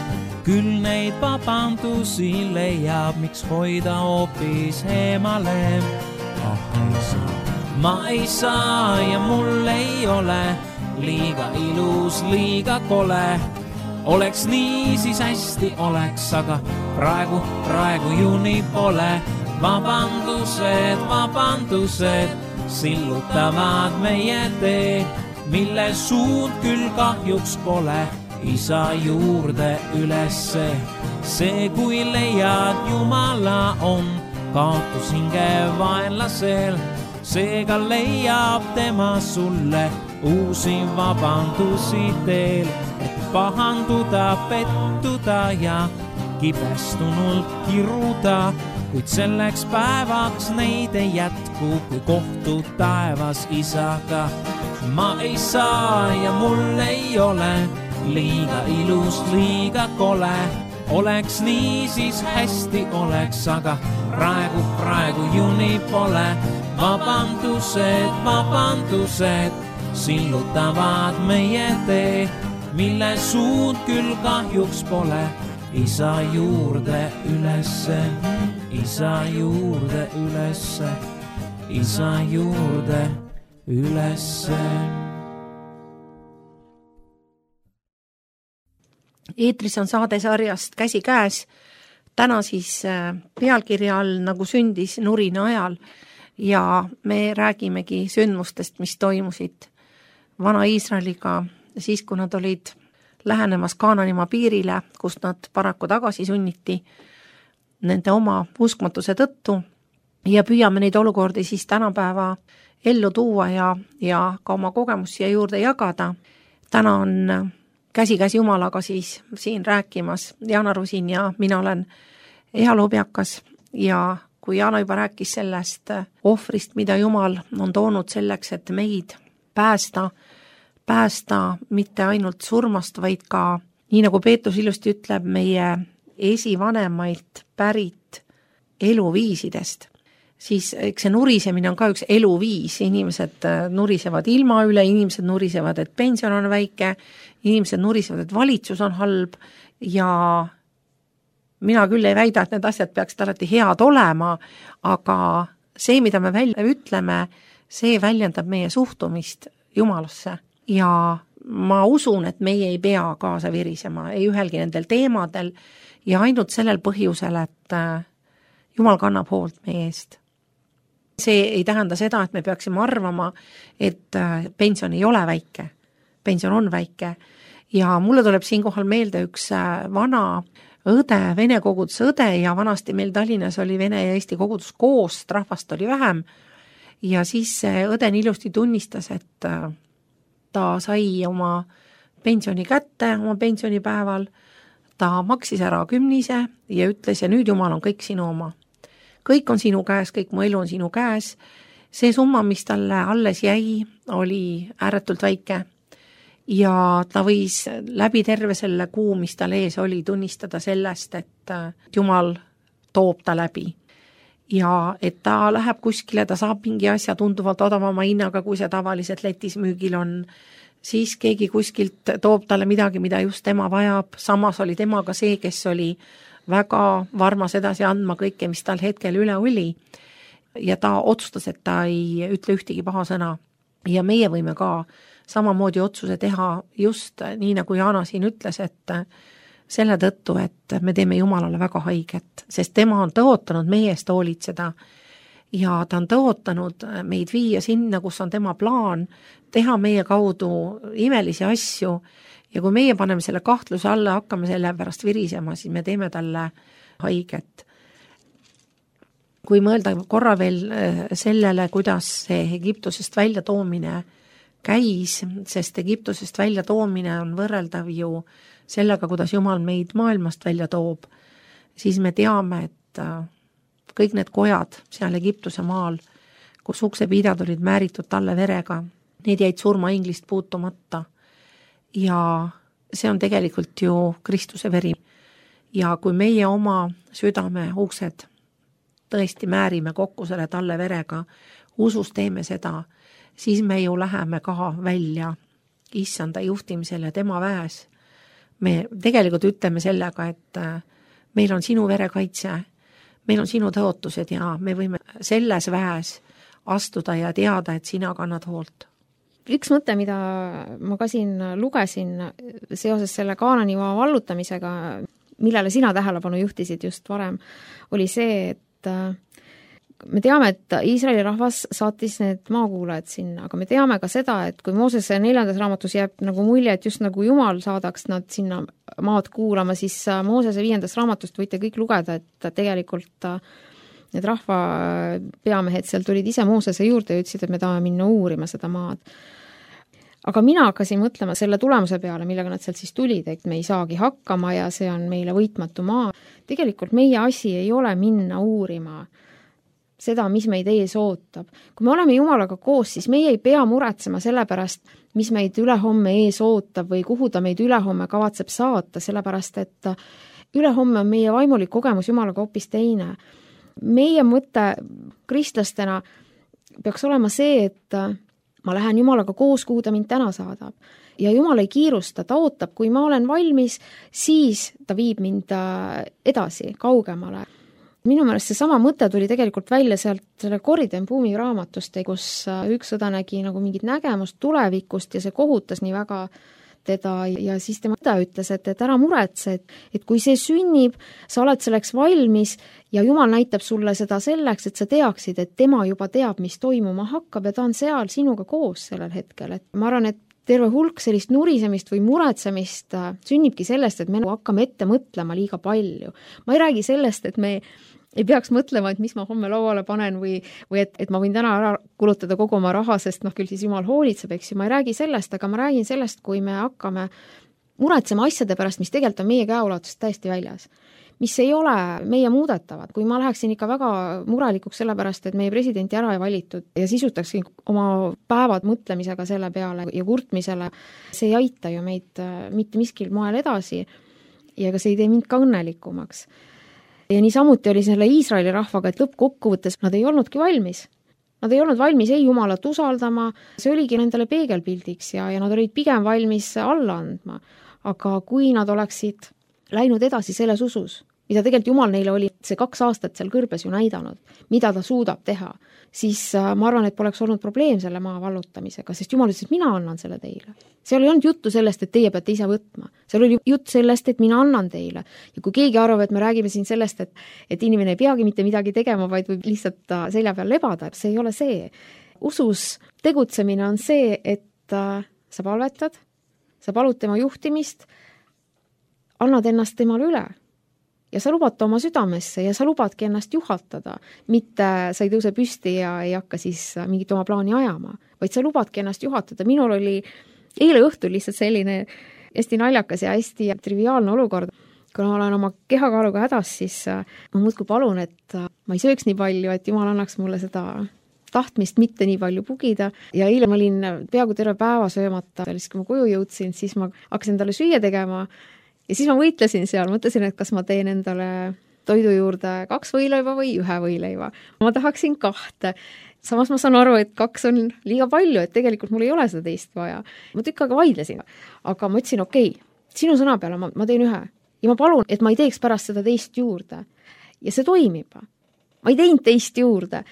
küll neid vabandusi leiab, miks hoida hoopis eemale. Ma ei saa ja mul ei ole liiga ilus, liiga kole. Oleks nii, siis hästi oleks, aga praegu juuni pole. Vabandused, sillutavad meie tee, mille suund küll kahjuks pole isa juurde ülesse. See, kui leiad Jumala, on kaotus hinge vaenlasel. Seega leiab tema sulle uusi vabandusi teel, et pahanduda, pettuda ja kibestunult kiruda. Kuid selleks päevaks neid ei jätku, kui kohtud taevas isaga. Ma ei saa ja mul ei ole liiga ilus, liiga kole. Oleks nii, siis hästi oleks, aga praegu juuni pole. Vabandused, sillutavad meie tee, mille suund küll kahjuks pole isa juurde ülesse, isa juurde ülesse, isa juurde ülesse. Eetris on saadesarjast Käsi käes. Täna siis pealkirja all Nagu sündis nurina ajal ja me räägimegi sündmustest, mis toimusid Vana-Iisraeliga siis, kui nad olid lähenemas Kaananimaa piirile, kust nad paraku tagasi sunniti nende oma uskmatuse tõttu ja püüame neid olukordi siis tänapäeva ellu tuua ja ka oma kogemust siia juurde jagada. Täna on käsikäes Jumalaga siis siin rääkimas Jana Rusin ja mina olen Eha Lobjakas ja kui Jana juba rääkis sellest ohvrist, mida Jumal on toonud selleks, et meid päästa mitte ainult surmast, vaid ka, nii nagu Peetrus ilusti ütleb, meie esivanemailt pärit eluviisidest, siis eks see nurisemine on ka üks eluviis, inimesed nurisevad ilma üle, inimesed nurisevad, et pension on väike, inimesed nurisevad, et valitsus on halb ja mina küll ei väida, et need asjad peaksid alati head olema, aga see, mida me välja ütleme, see väljendab meie suhtumist Jumalasse ja ma usun, et meie ei pea kaasa virisema, ei ühelgi nendel teemadel ja ainult sellel põhjusel, et Jumal kannab hoolt meie eest. See ei tähenda seda, et me peaksime arvama, et pension ei ole väike. Pension on väike ja mulle tuleb siinkohal meelde üks vana õde, vene koguduse õde ja vanasti meil Tallinnas oli vene ja eesti kogudus koos, rahvast oli vähem ja siis see õde ilusti tunnistas, et ta sai oma pensioni kätte oma pensionipäeval, ta maksis ära 10 ja ütles ja nüüd Jumal on kõik sinu oma. Kõik on sinu käes, kõik mu elu on sinu käes. See summa, mis talle alles jäi, oli ääretult väike ja ta võis läbi terve selle kuu, mis tal ees oli, tunnistada sellest, et Jumal toob ta läbi. Ja et ta läheb kuskile, ta saab mingi asja tunduvalt odavama hinnaga, kui see tavaliselt letis müügil on, siis keegi kuskilt toob talle midagi, mida just tema vajab, samas oli temaga see, kes oli väga varmas edasi andma kõike, mis tal hetkel üle oli ja ta otsustas, et ta ei ütle ühtegi paha sõna ja meie võime ka samamoodi otsuse teha just nii, nagu Jana siin ütles, et selle tõttu, et me teeme Jumalale väga haiget, sest tema on tõotanud meie eest hoolitseda ja ta on tõotanud meid viia sinna, kus on tema plaan, teha meie kaudu imelisi asju ja kui meie paneme selle kahtluse alla, hakkame selle pärast virisema, siis me teeme talle haiget. Kui mõelda korra veel sellele, kuidas see Egiptusest välja toomine käis, sest Egiptusest välja toomine on võrreldav ju sellega, kuidas Jumal meid maailmast välja toob, siis me teame, et kõik need kojad seal Egiptuse maal, kus uksepidad olid määritud talle verega, need jäid surmainglist puutumata ja see on tegelikult ju Kristuse veri. Ja kui meie oma südame uksed tõesti määrime kokku selle talle verega, usus teeme seda, siis me ju läheme ka välja issanda juhtimisel ja tema väes. Me tegelikult ütleme sellega, et meil on sinu verekaitse, meil on sinu tõotused ja me võime selles väes astuda ja teada, et sina kannad hoolt. Üks mõte, mida ma ka siin lugesin seoses selle Kaananimaa vallutamisega, millele sina tähelepanu juhtisid just varem, oli see, et me teame, et Iisraeli rahvas saatis need maakuulajad sinna, aga me teame ka seda, et kui Moosese 4. raamatus jääb nagu mulje, et just nagu Jumal saadaks nad sinna maad kuulama, siis Moosese 5. raamatust võite kõik lugeda, et tegelikult need rahva peamehed seal tulid ise Moosese juurde ja ütlesid, et me tahame minna uurima seda maad. Aga mina hakkasin mõtlema selle tulemuse peale, millega nad sealt siis tulid, et me ei saagi hakkama ja see on meile võitmatu maa. Tegelikult meie asi ei ole minna uurima seda, mis meid ees ootab. Kui me oleme Jumalaga koos, siis meie ei pea muretsema selle pärast, mis meid ülehomme ees ootab või kuhu ta meid ülehomme kavatseb saata, sellepärast et ülehomme on meie vaimulik kogemus Jumalaga hoopis teine. Meie mõte kristlastena peaks olema see, et ma lähen Jumalaga koos, kuhu ta mind täna saadab. Ja Jumal ei kiirusta, ta ootab, kui ma olen valmis, siis ta viib mind edasi, kaugemale. Minu meelest see sama mõte tuli tegelikult välja sealt selle Corrie Buumi raamatust, kus üks õde nägi nagu mingit nägemust tulevikust ja see kohutas nii väga teda ja siis tema ütles, et ära muretse, et kui see sünnib, sa oled selleks valmis ja Jumal näitab sulle seda selleks, et sa teaksid, et tema juba teab, mis toimuma hakkab ja ta on seal sinuga koos sellel hetkel. Et ma arvan, et terve hulk sellist nurisemist või muretsemist sünnibki sellest, et me hakkame ette mõtlema liiga palju. Ma ei räägi sellest, et me ei peaks mõtlema, et mis ma homme lauale panen või et ma võin täna ära kulutada kogu oma raha, sest küll siis Jumal hoolitseb, eks ju, ma ei räägi sellest, aga ma räägin sellest, kui me hakkame muretsema asjade pärast, mis tegelikult on meie käeulatusest täiesti väljas. Mis ei ole meie muudetavad. Kui ma läheksin ikka väga murelikuks selle pärast, et meie presidenti ära ei valitud ja sisutaksin oma päevad mõtlemisega selle peale ja kurtmisele, see ei aita ju meid mitte miskil moel edasi ja ka see ei tee mind ka õnnelikumaks. Ja niisamuti oli selle Iisraeli rahvaga, et lõppkokkuvõttes nad ei olnudki valmis. Nad ei olnud valmis ei Jumalat usaldama, see oligi nendele peegelpildiks ja nad olid pigem valmis alla andma. Aga kui nad oleksid läinud edasi selles usus, mida tegelikult Jumal neile oli see 2 aastat seal kõrbes ju näidanud, mida ta suudab teha, siis ma arvan, et poleks olnud probleem selle maa vallutamisega, sest Jumal ütles, et mina annan selle teile. Seal ei olnud juttu sellest, et teie peate ise võtma. Seal oli jutt sellest, et mina annan teile. Ja kui keegi arvab, et me räägime siin sellest, et inimene ei peagi mitte midagi tegema, vaid võib lihtsalt selja peal lebada, see ei ole see. Usus tegutsemine on see, et sa palvetad, sa palud tema juhtimist, annad ennast temale üle ja sa lubad ta oma südamesse ja sa lubadki ennast juhatada, mitte sa ei tõuse püsti ja ei hakka siis mingit oma plaani ajama, vaid sa lubadki ennast juhatada. Minul oli eile õhtul lihtsalt selline hästi naljakas ja hästi triviaalne olukord. Kui ma olen oma kehakaaluga hädas, siis ma muudkui palun, et ma ei sööks nii palju, et Jumal annaks mulle seda tahtmist mitte nii palju pugida. Ja eile ma olin peaaegu terve päeva söömata, kui ma koju jõudsin, siis ma hakkasin talle süüa tegema. Ja siis ma võitlesin seal, mõtlesin, et kas ma teen endale toidu juurde 2 võileiva või 1 võileiva. Ma tahaksin 2. Samas ma saan aru, et 2 on liiga palju, et tegelikult mul ei ole seda teist vaja. Ma tükk aega vaidlesin, aga ma ütlesin, okei, sinu sõna peale ma teen 1. Ja ma palun, et ma ei teeks pärast seda teist juurde. Ja see toimib. Ma ei teinud teist juurde.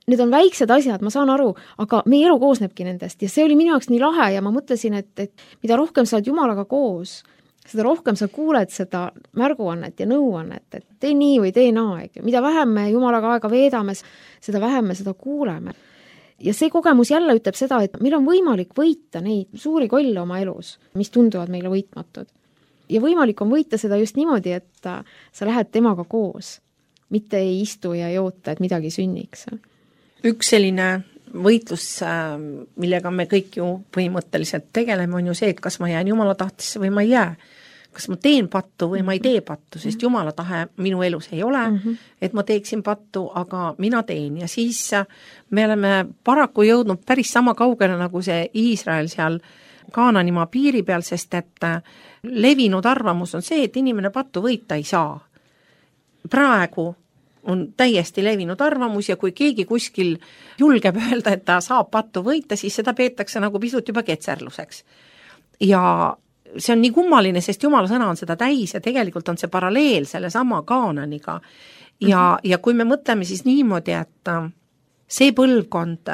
Need on väiksed asjad, ma saan aru, aga meie elu koosnebki nendest. Ja see oli minu jaoks nii lahe ja ma mõtlesin, et mida rohkem sa oled Jumalaga koos, seda rohkem sa kuuled seda märguannet ja nõuannet, et tee nii või tee naa. Mida vähem me Jumalaga aega veedame, seda vähem me seda kuuleme. Ja see kogemus jälle ütleb seda, et meil on võimalik võita neid suuri kolle oma elus, mis tunduvad meile võitmatud. Ja võimalik on võita seda just niimoodi, et sa lähed temaga koos, mitte ei istu ja ei oota, et midagi sünniks. Üks selline võitlus, millega me kõik ju põhimõtteliselt tegeleme, on ju see, et kas ma jään Jumala tahtesse või ma ei jää. Kas ma teen pattu või ma ei tee pattu, sest Jumala tahe minu elus ei ole, et ma teeksin pattu, aga mina teen. Ja siis me oleme paraku jõudnud päris sama kaugele nagu see Iisrael seal Kaananimaa piiri peal, sest et levinud arvamus on see, et inimene pattu võita ei saa. Praegu on täiesti levinud arvamus ja kui keegi kuskil julgeb öelda, et ta saab pattu võita, siis seda peetakse nagu pisut juba ketserluseks. Ja see on nii kummaline, sest Jumala sõna on seda täis ja tegelikult on see paralleel selle sama Kaananiga. Ja kui me mõtleme siis niimoodi, et see põlvkond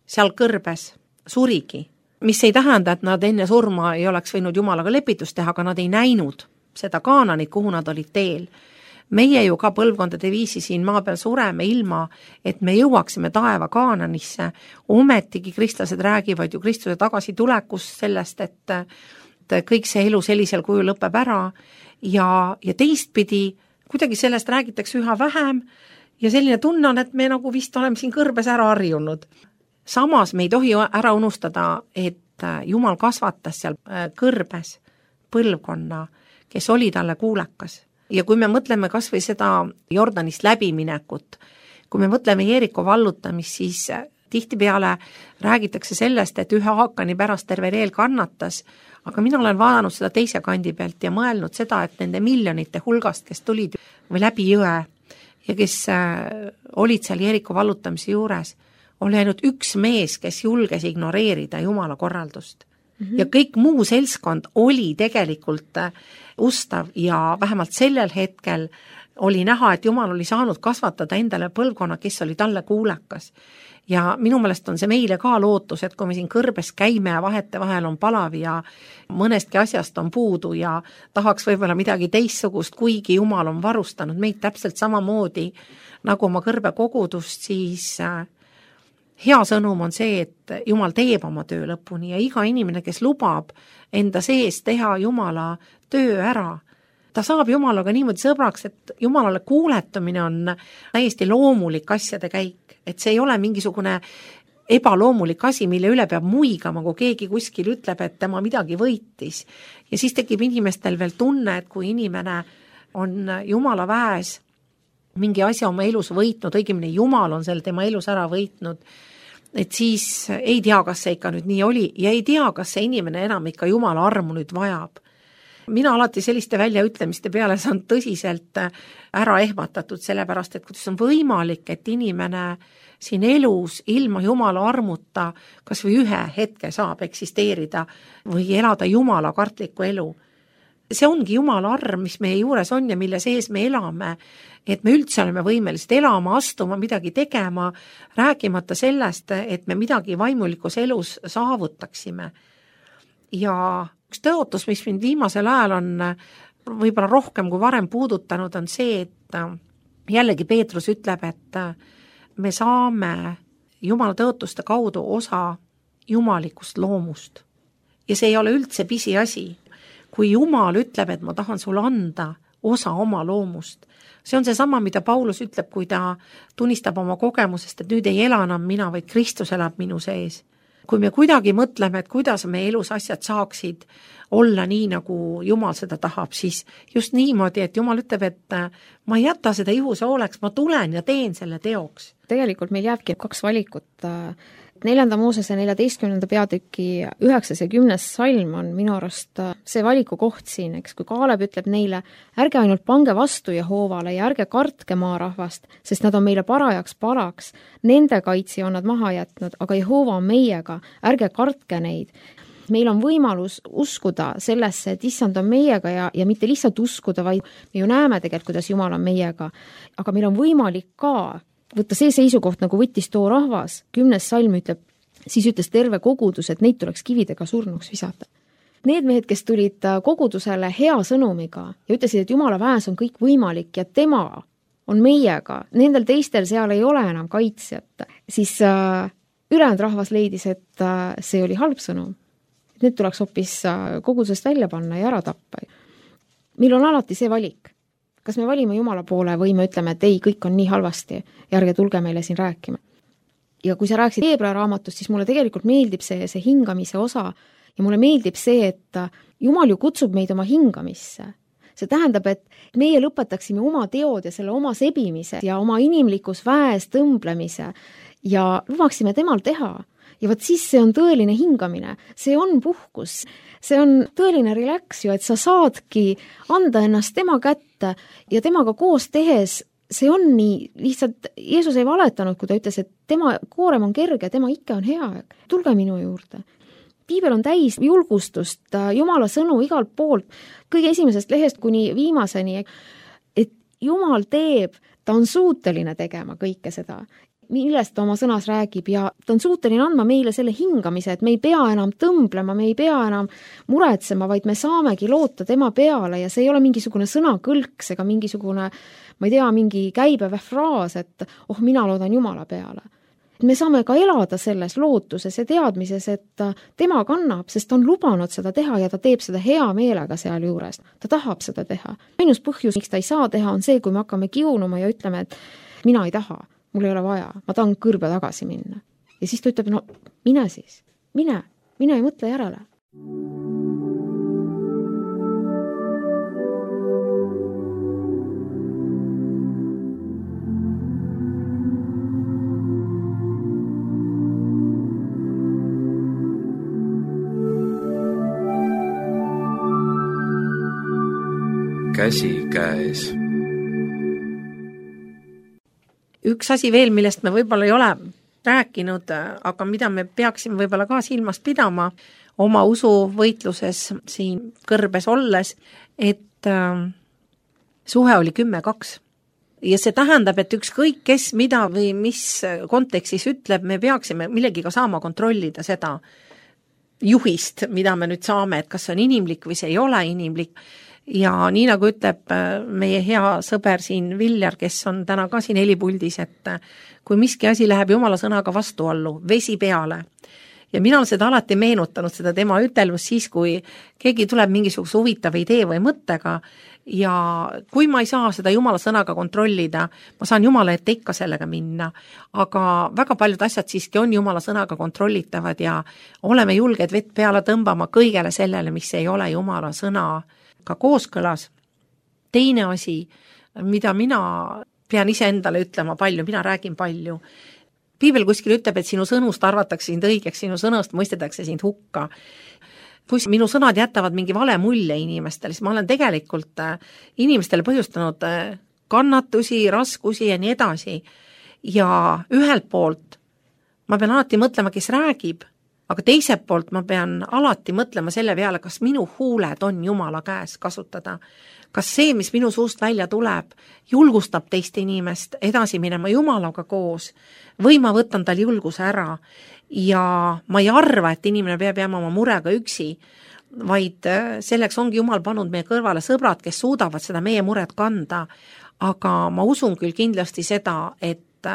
seal kõrbes surigi, mis ei tähenda, et nad enne surma ei oleks võinud Jumalaga lepitust teha, aga nad ei näinud seda Kaananit, kuhu nad olid teel. Meie ju ka põlvkondade viisi siin maa peal sureme ilma, et me jõuaksime taeva Kaananisse. Ometigi kristlased räägivad ju Kristuse tagasitulekust sellest, et kõik see elu sellisel kujul lõpeb ära ja teistpidi kuidagi sellest räägitakse üha vähem ja selline tunne on, et me nagu vist oleme siin kõrbes ära harjunud. Samas me ei tohi ära unustada, et Jumal kasvatas seal kõrbes põlvkonna, kes oli talle kuulekas. Ja kui me mõtleme kas või seda Jordanist läbiminekut, kui me mõtleme Jeeriko vallutamist, siis tihtipeale räägitakse sellest, et ühe Haakani pärast terve eel kannatas, aga mina olen vaadanud seda teise kandi pealt ja mõelnud seda, et nende miljonite hulgast, kes tulid või läbi jõe ja kes olid seal Jeeriko vallutamise juures, oli ainult üks mees, kes julges ignoreerida Jumala korraldust. Ja kõik muu seltskond oli tegelikult ustav ja vähemalt sellel hetkel oli näha, et Jumal oli saanud kasvatada endale põlvkonna, kes oli talle kuulekas. Ja minu meelest on see meile ka lootus, et kui me siin kõrbes käime ja vahete vahel on palav ja mõnestki asjast on puudu ja tahaks võib-olla midagi teistsugust, kuigi Jumal on varustanud meid täpselt samamoodi nagu oma kõrbe kogudust, siis hea sõnum on see, et Jumal teeb oma töö lõpuni ja iga inimene, kes lubab enda sees teha Jumala töö ära, ta saab Jumalaga niimoodi sõbraks, et Jumalale kuuletumine on täiesti loomulik asjade käik, et see ei ole mingisugune ebaloomulik asi, mille üle peab muigama, kui keegi kuskil ütleb, et tema midagi võitis. Ja siis tekib inimestel veel tunne, et kui inimene on Jumala väes mingi asja oma elus võitnud, õigemini Jumal on selle tema elus ära võitnud, et siis ei tea, kas see ikka nüüd nii oli ja ei tea, kas see inimene enam ikka Jumala armu nüüd vajab. Mina alati selliste väljaütlemiste peale saan tõsiselt ära ehmatatud, sellepärast, et kuidas on võimalik, et inimene siin elus ilma Jumala armuta kas või ühe hetke saab eksisteerida või elada Jumala kartlikku elu. See ongi Jumala arm, mis meie juures on ja mille sees me elame, et me üldse oleme võimelised elama, astuma, midagi tegema, rääkimata sellest, et me midagi vaimulikus elus saavutaksime. Ja üks tõotus, mis mind viimasel ajal on võib-olla rohkem kui varem puudutanud, on see, et jällegi Peetrus ütleb, et me saame Jumala tõotuste kaudu osa jumalikust loomust. Ja see ei ole üldse pisiasi. Kui Jumal ütleb, et ma tahan sulle anda osa oma loomust, see on see sama, mida Paulus ütleb, kui ta tunnistab oma kogemusest, et nüüd ei ela enam mina, vaid Kristus elab minu sees. Kui me kuidagi mõtleme, et kuidas me elus asjad saaksid olla nii, nagu Jumal seda tahab, siis just niimoodi, et Jumal ütleb, et ma ei jäta seda juhuse hooleks, ma tulen ja teen selle teoks. Tegelikult meil jääbki 2 valikut. 4. Moosese 14. peatüki 9. ja 10. salm on minu arust see valiku koht siin, eks, kui Kaaleb ütleb neile, ärge ainult pange vastu Jehoovale ja ärge kartke maarahvast, sest nad on meile parajaks palaks. Nende kaitsi on nad maha jätnud, aga Jehoova on meiega, ärge kartke neid. Meil on võimalus uskuda sellesse, et issand on meiega ja mitte lihtsalt uskuda, vaid me ju näeme tegelikult, kuidas Jumal on meiega. Aga meil on võimalik ka võtta see seisukoht, nagu võttis too rahvas. 10. salm ütleb, siis ütles terve kogudus, et neid tuleks kividega surnuks visata. Need mehed, kes tulid kogudusele hea sõnumiga ja ütlesid, et Jumala väes on kõik võimalik ja tema on meiega, nendel teistel seal ei ole enam kaitsjat, siis ülejäänud rahvas leidis, et see oli halb sõnum. Need tuleks hoopis kogudusest välja panna ja ära tappa. Meil on alati see valik. Kas me valime Jumala poole või me ütleme, et ei, kõik on nii halvasti ja ärge tulge meile siin rääkima. Ja kui sa rääkisid Hebra raamatust, siis mulle tegelikult meeldib see hingamise osa ja mulle meeldib see, et Jumal ju kutsub meid oma hingamisse. See tähendab, et meie lõpetaksime oma teod ja selle oma sebimise ja oma inimlikus väes tõmblemise ja lubaksime temal teha. Ja võt siis see on tõeline hingamine, see on puhkus, see on tõeline relax ju, et sa saadki anda ennast tema kätte ja temaga koos tehes, see on nii, lihtsalt Jeesus ei valetanud, kui ta ütles, et tema koorem on kerge, tema ikke on hea, tulge minu juurde. Piibel on täis julgustust, Jumala sõnu igalt poolt, kõige esimesest lehest kuni viimaseni, et Jumal teeb, ta on suuteline tegema kõike seda, millest ta oma sõnas räägib ja ta on suuteline andma meile selle hingamise, et me ei pea enam tõmblema, me ei pea enam muretsema, vaid me saamegi loota tema peale ja see ei ole mingisugune sõnakõlks ega mingisugune, ma ei tea, mingi käibev fraas, et mina loodan Jumala peale. Me saame ka elada selles lootuses ja teadmises, et tema kannab, sest ta on lubanud seda teha ja ta teeb seda hea meelega seal juures. Ta tahab seda teha. Ainus põhjus, miks ta ei saa teha, on see, kui me hakkame kiunuma ja ütleme, et mina ei taha. Mul ei ole vaja, ma tahan kõrbe tagasi minna. Ja siis ta ütleb, no mine siis, mine ei mõtle järele. Käsi käes. Üks asi veel, millest me võib-olla ei ole rääkinud, aga mida me peaksime võib-olla ka silmas pidama oma usuvõitluses siin kõrbes olles, et suhe oli 10-2. Ja see tähendab, et ükskõik kes mida või mis kontekstis ütleb, me peaksime millegiga saama kontrollida seda juhist, mida me nüüd saame, et kas see on inimlik või see ei ole inimlik. ja nii nagu ütleb meie hea sõber siin Viljar, kes on täna ka siin helipuldis, et kui miski asi läheb Jumala sõnaga vastuollu, vesi peale. Ja mina olen seda alati meenutanud, seda tema ütelmust siis, kui keegi tuleb mingisuguse huvitava idee või mõttega ja kui ma ei saa seda Jumala sõnaga kontrollida, ma saan Jumala ette ikka sellega minna, aga väga paljud asjad siiski on Jumala sõnaga kontrollitavad ja oleme julged vett peale tõmbama kõigele sellele, mis ei ole Jumala sõnaga kooskõlas. Teine asi, mida mina pean ise endale ütlema palju, mina räägin palju. Piibel kuskil ütleb, et sinu sõnust arvatakse sind õigeks, sinu sõnust mõistetakse sind hukka. Kui minu sõnad jätavad mingi vale mulje inimestele, siis ma olen tegelikult inimestele põhjustanud kannatusi, raskusi ja nii edasi. Ja ühelt poolt ma pean alati mõtlema, kes räägib, aga teiselt poolt ma pean alati mõtlema selle peale, kas minu huuled on Jumala käes kasutada. Kas see, mis minu suust välja tuleb, julgustab teist inimest edasi minema Jumalaga koos või ma võtan tal julguse ära ja ma ei arva, et inimene peab jääma oma murega üksi, vaid selleks ongi Jumal pannud meie kõrvale sõbrad, kes suudavad seda meie muret kanda, aga ma usun küll kindlasti seda, et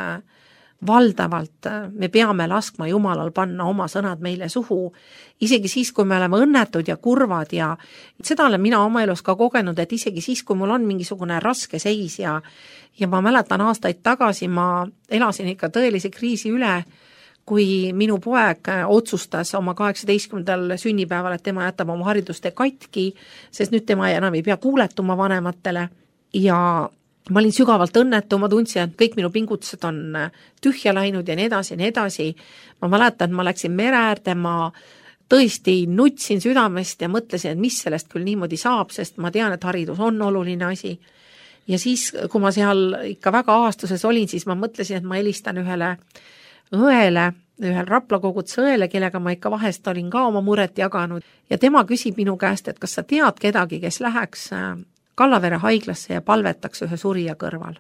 valdavalt me peame laskma Jumalal panna oma sõnad meile suhu, isegi siis, kui me oleme õnnetud ja kurvad ja seda olen mina oma elus ka kogenud, et isegi siis, kui mul on mingisugune raske seis ja ma mäletan aastaid tagasi, ma elasin ikka tõelise kriisi üle, kui minu poeg otsustas oma 18. sünnipäeval, et tema jätab oma hariduste katki, sest nüüd tema enam ei pea kuuletuma vanematele ja ma olin sügavalt õnnetu, ma tundsin, et kõik minu pingutused on tühja läinud ja nii edasi ja nii edasi. Ma mäletan, et ma läksin mere äärde, ma tõesti nutsin südamest ja mõtlesin, et mis sellest küll niimoodi saab, sest ma tean, et haridus on oluline asi. Ja siis, kui ma seal ikka väga aastuses olin, siis ma mõtlesin, et ma helistan ühele õele, ühel Rapla koguduse õele, kellega ma ikka vahest olin ka oma muret jaganud. Ja tema küsib minu käest, et kas sa tead kedagi, kes läheks Kallavere haiglasse ja palvetaks ühe surija kõrval.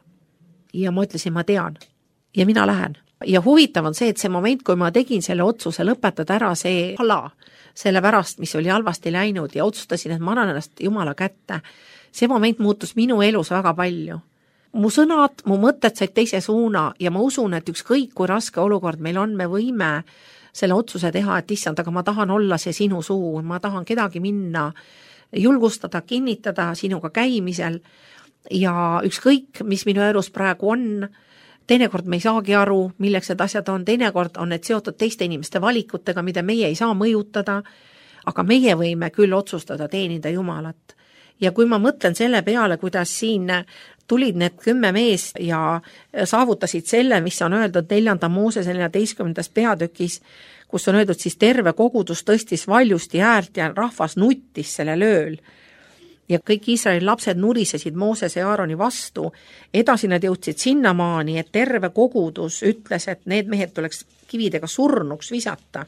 Ja ma ütlesin, ma tean. Ja mina lähen. Ja huvitav on see, et see moment, kui ma tegin selle otsuse lõpetada ära see ala, selle pärast, mis oli halvasti läinud ja otsustasin, et ma annan ennast Jumala kätte, see moment muutus minu elus väga palju. Mu sõnad, mu mõtted said teise suuna ja ma usun, et ükskõik kui raske olukord meil on, me võime selle otsuse teha, et issand, aga ma tahan olla see sinu suu, ma tahan kedagi minna julgustada, kinnitada sinuga käimisel ja ükskõik, mis minu elus praegu on, teinekord me ei saagi aru, milleks need asjad on, teinekord on need seotud teiste inimeste valikutega, mida meie ei saa mõjutada, aga meie võime küll otsustada teenida Jumalat. Ja kui ma mõtlen selle peale, kuidas siin tulid need 10 mees ja saavutasid selle, mis on öeldud 4. Moosese 14. peatükis, kus on öeldud siis terve kogudus tõstis valjusti häält ja rahvas nuttis selle lööl. Ja kõik Iisraeli lapsed nurisesid Moosese ja Aaroni vastu. Edasi nad jõudsid sinnamaani, et terve kogudus ütles, et need mehed tuleks kividega surnuks visata,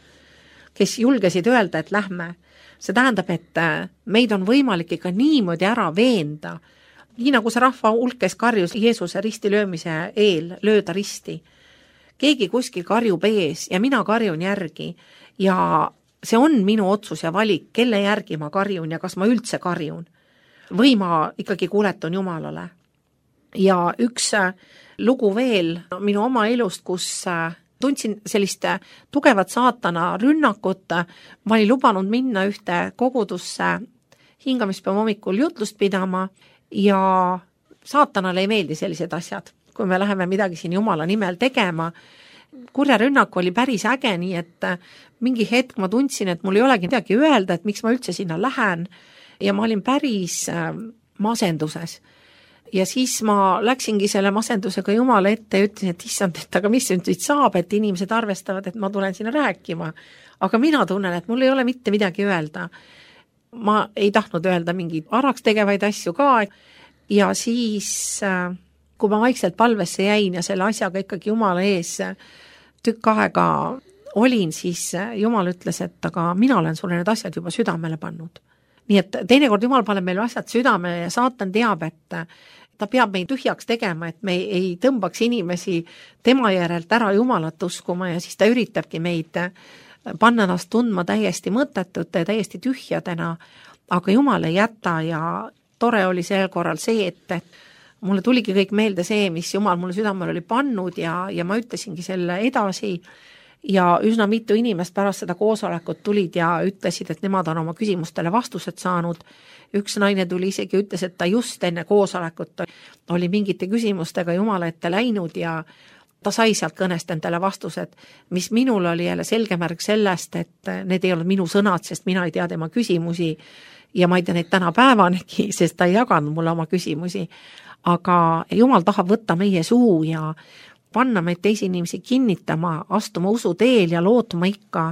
kes julgesid öelda, et lähme. See tähendab, et meid on võimalik ikka niimoodi ära veenda, nii nagu see rahva hulk, kes karjus Jeesuse risti löömise eel, lööda risti. Keegi kuskil karjub ees ja mina karjun järgi ja see on minu otsus ja valik, kelle järgi ma karjun ja kas ma üldse karjun või ma ikkagi kuuletun Jumalale. Ja üks lugu veel minu oma elust, kus tundsin sellist tugevat saatana rünnakut, ma olin lubanud minna ühte kogudusse hingamispäeva hommikul jutlust pidama ja saatanale ei meeldi sellised asjad. Kui me läheme midagi siin Jumala nimel tegema, kurja rünnak oli päris äge, nii et mingi hetk ma tundsin, et mul ei olegi midagi öelda, et miks ma üldse sinna lähen ja ma olin päris masenduses. Ja siis ma läksingi selle masendusega Jumala ette ja ütlesin, et issand, et aga mis nüüd saab, et inimesed arvestavad, et ma tulen sinna rääkima. Aga mina tunnen, et mul ei ole mitte midagi öelda. Ma ei tahtnud öelda mingeid araks tegevaid asju ka ja siis kui ma vaikselt palvesse jäin ja selle asjaga ikkagi Jumala ees tükk aega olin, siis Jumal ütles, et aga mina olen sulle need asjad juba südamele pannud. Nii et teinekord Jumal paneb meil asjad südamele ja saatan teab, et ta peab meid tühjaks tegema, et me ei tõmbaks inimesi tema järelt ära Jumalat uskuma ja siis ta üritabki meid panna ennast tundma täiesti mõttetute, täiesti tühjadena, aga Jumal ei jäta ja tore oli sel korral see, et mulle tuligi kõik meelde see, mis Jumal mulle südamel oli pannud ja ma ütlesingi selle edasi ja üsna mitu inimest pärast seda koosolekut tulid ja ütlesid, et nemad on oma küsimustele vastused saanud. Üks naine tuli isegi ütles, et ta just enne koosolekut oli mingite küsimustega Jumala ette läinud ja ta sai sealt kõnest endale vastused, mis minul oli jälle selge märk sellest, et need ei olnud minu sõnad, sest mina ei tea tema küsimusi ja ma ei tea neid tänapäevanegi, sest ta ei jaganud mulle oma küsimusi. Aga Jumal tahab võtta meie suu ja panna meid teisi inimesi kinnitama, astuma usu teel ja lootma ikka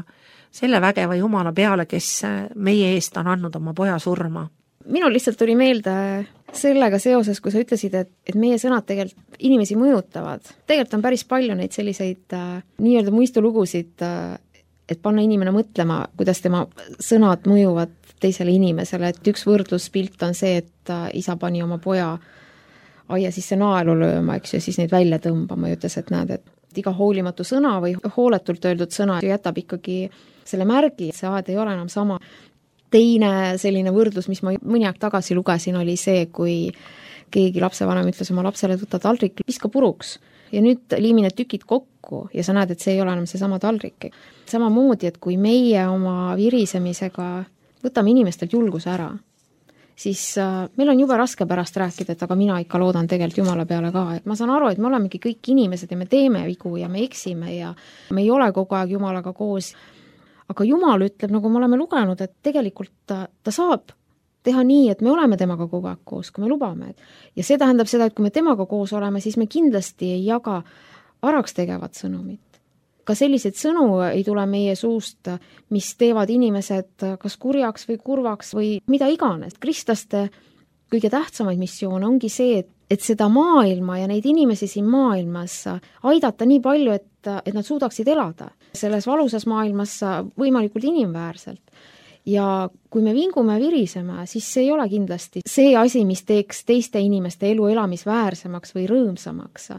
selle vägeva Jumala peale, kes meie eest on andnud oma poja surma. Minul lihtsalt tuli meelde sellega seoses, kui sa ütlesid, et meie sõnad tegelikult inimesi mõjutavad. Tegelikult on päris palju neid selliseid nii-öelda muistulugusid, et panna inimene mõtlema, kuidas tema sõnad mõjuvad teisele inimesele. Et üks võrdluspilt on see, et isa pani oma poja aia sisse naelu lööma, eks, ja siis neid välja tõmbama ja ütles, et näed, et iga hoolimatu sõna või hooletult öeldud sõna jätab ikkagi selle märgi, et see aed ei ole enam sama. Teine selline võrdlus, mis ma mõni aeg tagasi lugesin, oli see, kui keegi lapsevanem ütles oma lapsele, et võta taldrik, viska puruks ja nüüd liimi need tükid kokku ja sa näed, et see ei ole enam see sama taldrik. Samamoodi, et kui meie oma virisemisega võtame inimestelt julguse ära, siis meil on jube raske pärast rääkida, et aga mina ikka loodan tegelikult Jumala peale ka. Et ma saan aru, et me olemegi kõik inimesed ja me teeme vigu ja me eksime ja me ei ole kogu aeg Jumalaga koos. Aga Jumal ütleb, nagu me oleme lugenud, et tegelikult ta saab teha nii, et me oleme temaga kogu aeg koos, kui me lubame. Ja see tähendab seda, et kui me temaga koos oleme, siis me kindlasti ei jaga araks tegevat sõnumit. Ka sellised sõnu ei tule meie suust, mis teevad inimesed kas kurjaks või kurvaks või mida iganes. Kristlaste kõige tähtsamaid missioone ongi see, et seda maailma ja neid inimesi siin maailmas aidata nii palju, et nad suudaksid elada selles valusas maailmas võimalikult inimväärselt. Ja kui me vingume viriseme, siis see ei ole kindlasti see asi, mis teeks teiste inimeste elu elamisväärsemaks või rõõmsamaks.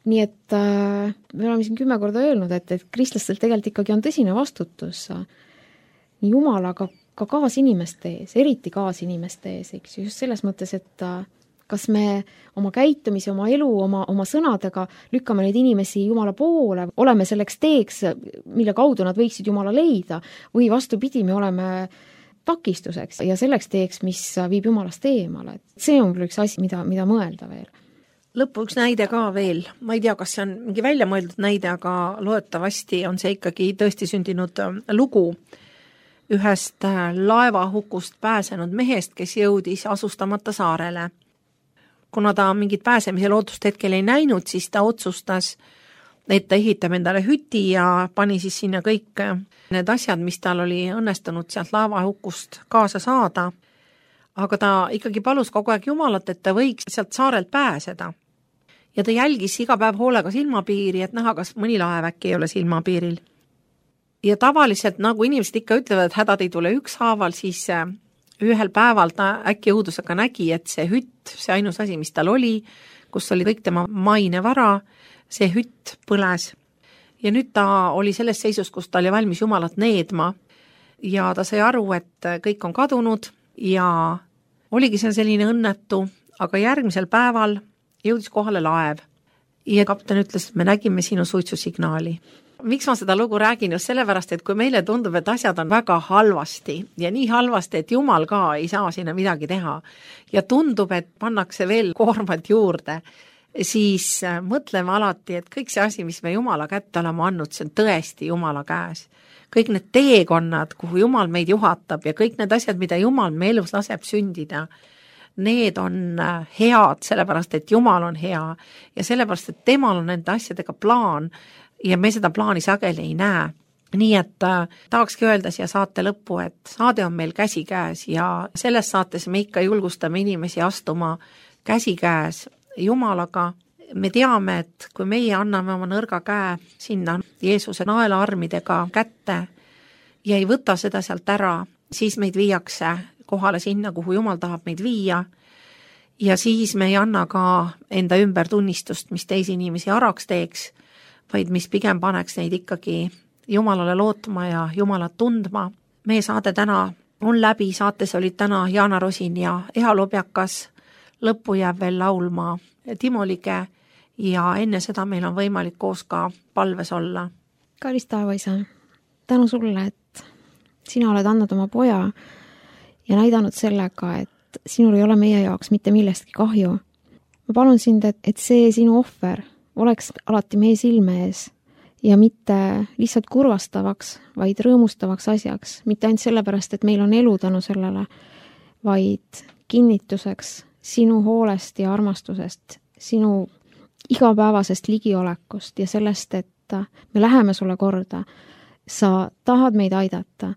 Nii et me oleme siin 10 korda öelnud, et kristlastel tegelikult ikkagi on tõsine vastutus nii Jumala, aga ka kaasinimeste ees, eriti kaasinimeste ees, eks just selles mõttes, et kas me oma käitumise, oma elu, oma sõnadega lükkame neid inimesi Jumala poole, oleme selleks teeks, mille kaudu nad võiksid Jumala leida, või vastupidi, me oleme takistuseks ja selleks teeks, mis viib Jumalast eemale. See on küll üks asi, mida mõelda veel. Lõppu üks näide ka veel, ma ei tea, kas see on mingi välja mõeldud näide, aga loetavasti on see ikkagi tõesti sündinud lugu ühest laevahukust pääsenud mehest, kes jõudis asustamata saarele. Kuna ta mingit pääsemise lootust hetkel ei näinud, siis ta otsustas, et ta ehitab endale hüti ja pani siis sinna kõik need asjad, mis tal oli õnnestunud sealt laevahukust kaasa saada. Aga ta ikkagi palus kogu aeg Jumalat, et ta võiks sealt saarelt pääseda. Ja ta jälgis iga päev hoolega silmapiiri, et näha, kas mõni laev äkki ei ole silmapiiril. Ja tavaliselt, nagu inimesed ikka ütlevad, et hädad ei tule ükshaaval, siis ühel päeval ta äkki õudusega nägi, et see hütt, see ainus asi, mis tal oli, kus oli kõik tema mainevara, see hütt põles. Ja nüüd ta oli selles seisus, kus ta oli valmis Jumalat needma ja ta sai aru, et kõik on kadunud ja oligi see selline õnnetu, aga järgmisel päeval jõudis kohale laev ja kapten ütles, et me nägime sinu suitsusignaali. Miks ma seda lugu räägin? Just sellepärast, et kui meile tundub, et asjad on väga halvasti ja nii halvasti, et Jumal ka ei saa sinna midagi teha ja tundub, et pannakse veel koormat juurde, siis mõtleme alati, et kõik see asi, mis me Jumala kätte oleme andnud, see on tõesti Jumala käes. Kõik need teekonnad, kuhu Jumal meid juhatab ja kõik need asjad, mida Jumal me elus laseb sündida, need on head, sellepärast, et Jumal on hea ja sellepärast, et temal on nende asjadega plaan ja me seda plaani sageli ei näe. Nii et tahakski öelda siia saate lõppu, et saade on meil käsikäes ja selles saates me ikka julgustame inimesi astuma käsikäes Jumalaga. Me teame, et kui meie anname oma nõrga käe sinna Jeesuse naelaarmidega kätte ja ei võta seda sealt ära, siis meid viiakse kohale sinna, kuhu Jumal tahab meid viia ja siis me ei anna ka enda ümber tunnistust, mis teisi inimesi araks teeks, vaid mis pigem paneks neid ikkagi Jumalale lootma ja Jumalat tundma. Meie saade täna on läbi, saates olid täna Jaana Rosin ja Eha Lobjakas, lõppu jääb veel laulma Timo Lige ja enne seda meil on võimalik koos ka palves olla. Kallis taevaisa, tänu sulle, et sina oled andnud oma poja ja näidanud sellega, et sinul ei ole meie jaoks mitte millestki kahju. Ma palun sind, et see sinu ohver oleks alati meie silme ees ja mitte lihtsalt kurvastavaks, vaid rõõmustavaks asjaks, mitte ainult sellepärast, et meil on elu tänu sellele, vaid kinnituseks sinu hoolest ja armastusest, sinu igapäevasest ligiolekust ja sellest, et me läheme sulle korda, sa tahad meid aidata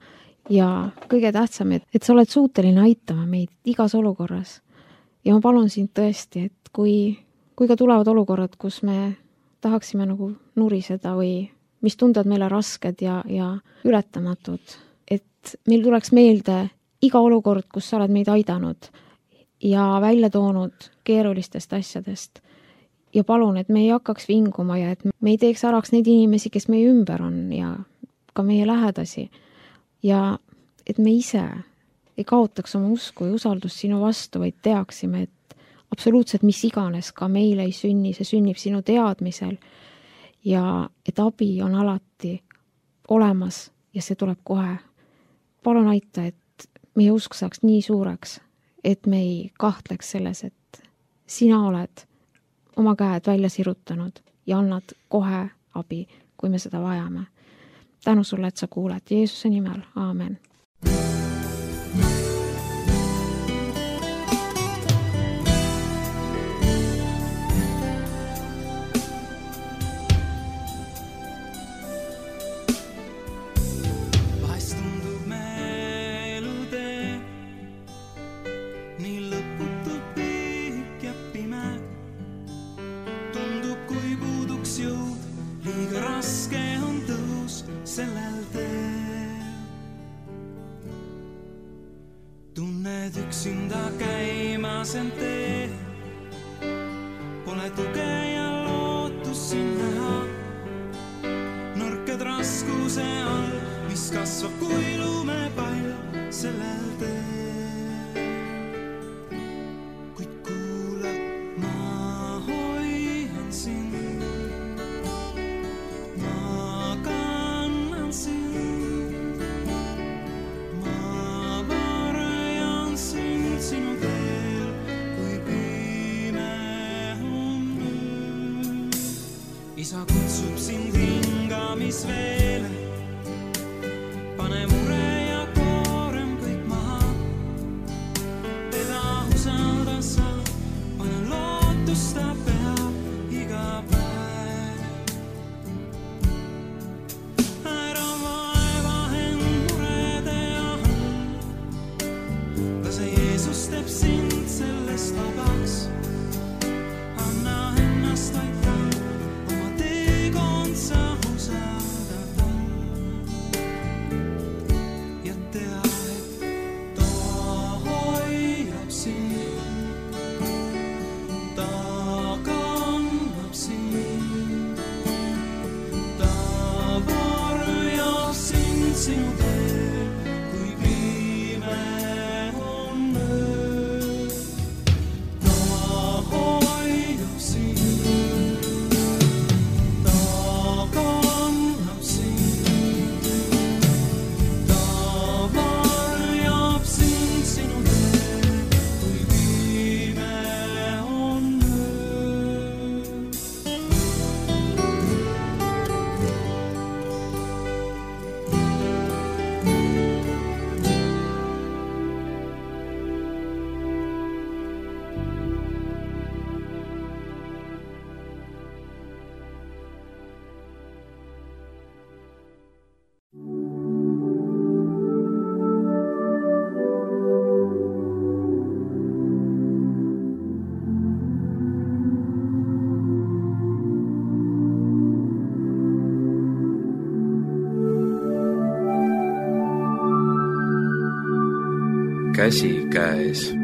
ja kõige tähtsam, et sa oled suuteline aitama meid igas olukorras. Ja ma palun sind tõesti, et kui ka tulevad olukorrad, kus me tahaksime nagu nuriseda või mis tunduvad meile rasked ja ületamatud, et meil tuleks meelde iga olukord, kus sa oled meid aidanud ja välja toonud keerulistest asjadest. Ja palun, et me ei hakkaks vinguma ja et me ei teeks äraks neid inimesi, kes meie ümber on ja ka meie lähedasi. Ja et me ise ei kaotaks oma usku ja usaldust sinu vastu, vaid teaksime, et absoluutselt mis iganes ka meile ei sünni, see sünnib sinu teadmisel ja et abi on alati olemas ja see tuleb kohe. Palun aita, et meie usk saaks nii suureks, et me ei kahtleks selles, et sina oled oma käed välja sirutanud ja annad kohe abi, kui me seda vajame. Tänu sulle, et sa kuuled. Jeesuse nimel. Aamen. Tunned üksinda käimas end tee, pole tuge ja lootus siin näha. Nõrked raskuse all, mis kasvab kui lumepall sellel tee. Kuid kuula, ma hoian sind, ma kannan sind. Sinu teel, kui pime on öö. Isa kutsub sind hingamisveele, pane mure ja koorem kõik maha. Teda usalda sa, pane lootust ta peab iga päev. Ära vaeva end murede ahel, lase Jeesus teeb sind sellest vabaks. Anna ennast aita, oma teekond sa usaldada. Ja tea, et ta hoiab sind, ta kannab sind, ta varjab sind sinu teel, kui pime on öö. Ta hoiab sind, ta kannab sind, ta varjab sind sinu teel, kui pime on öö. Käsi käes.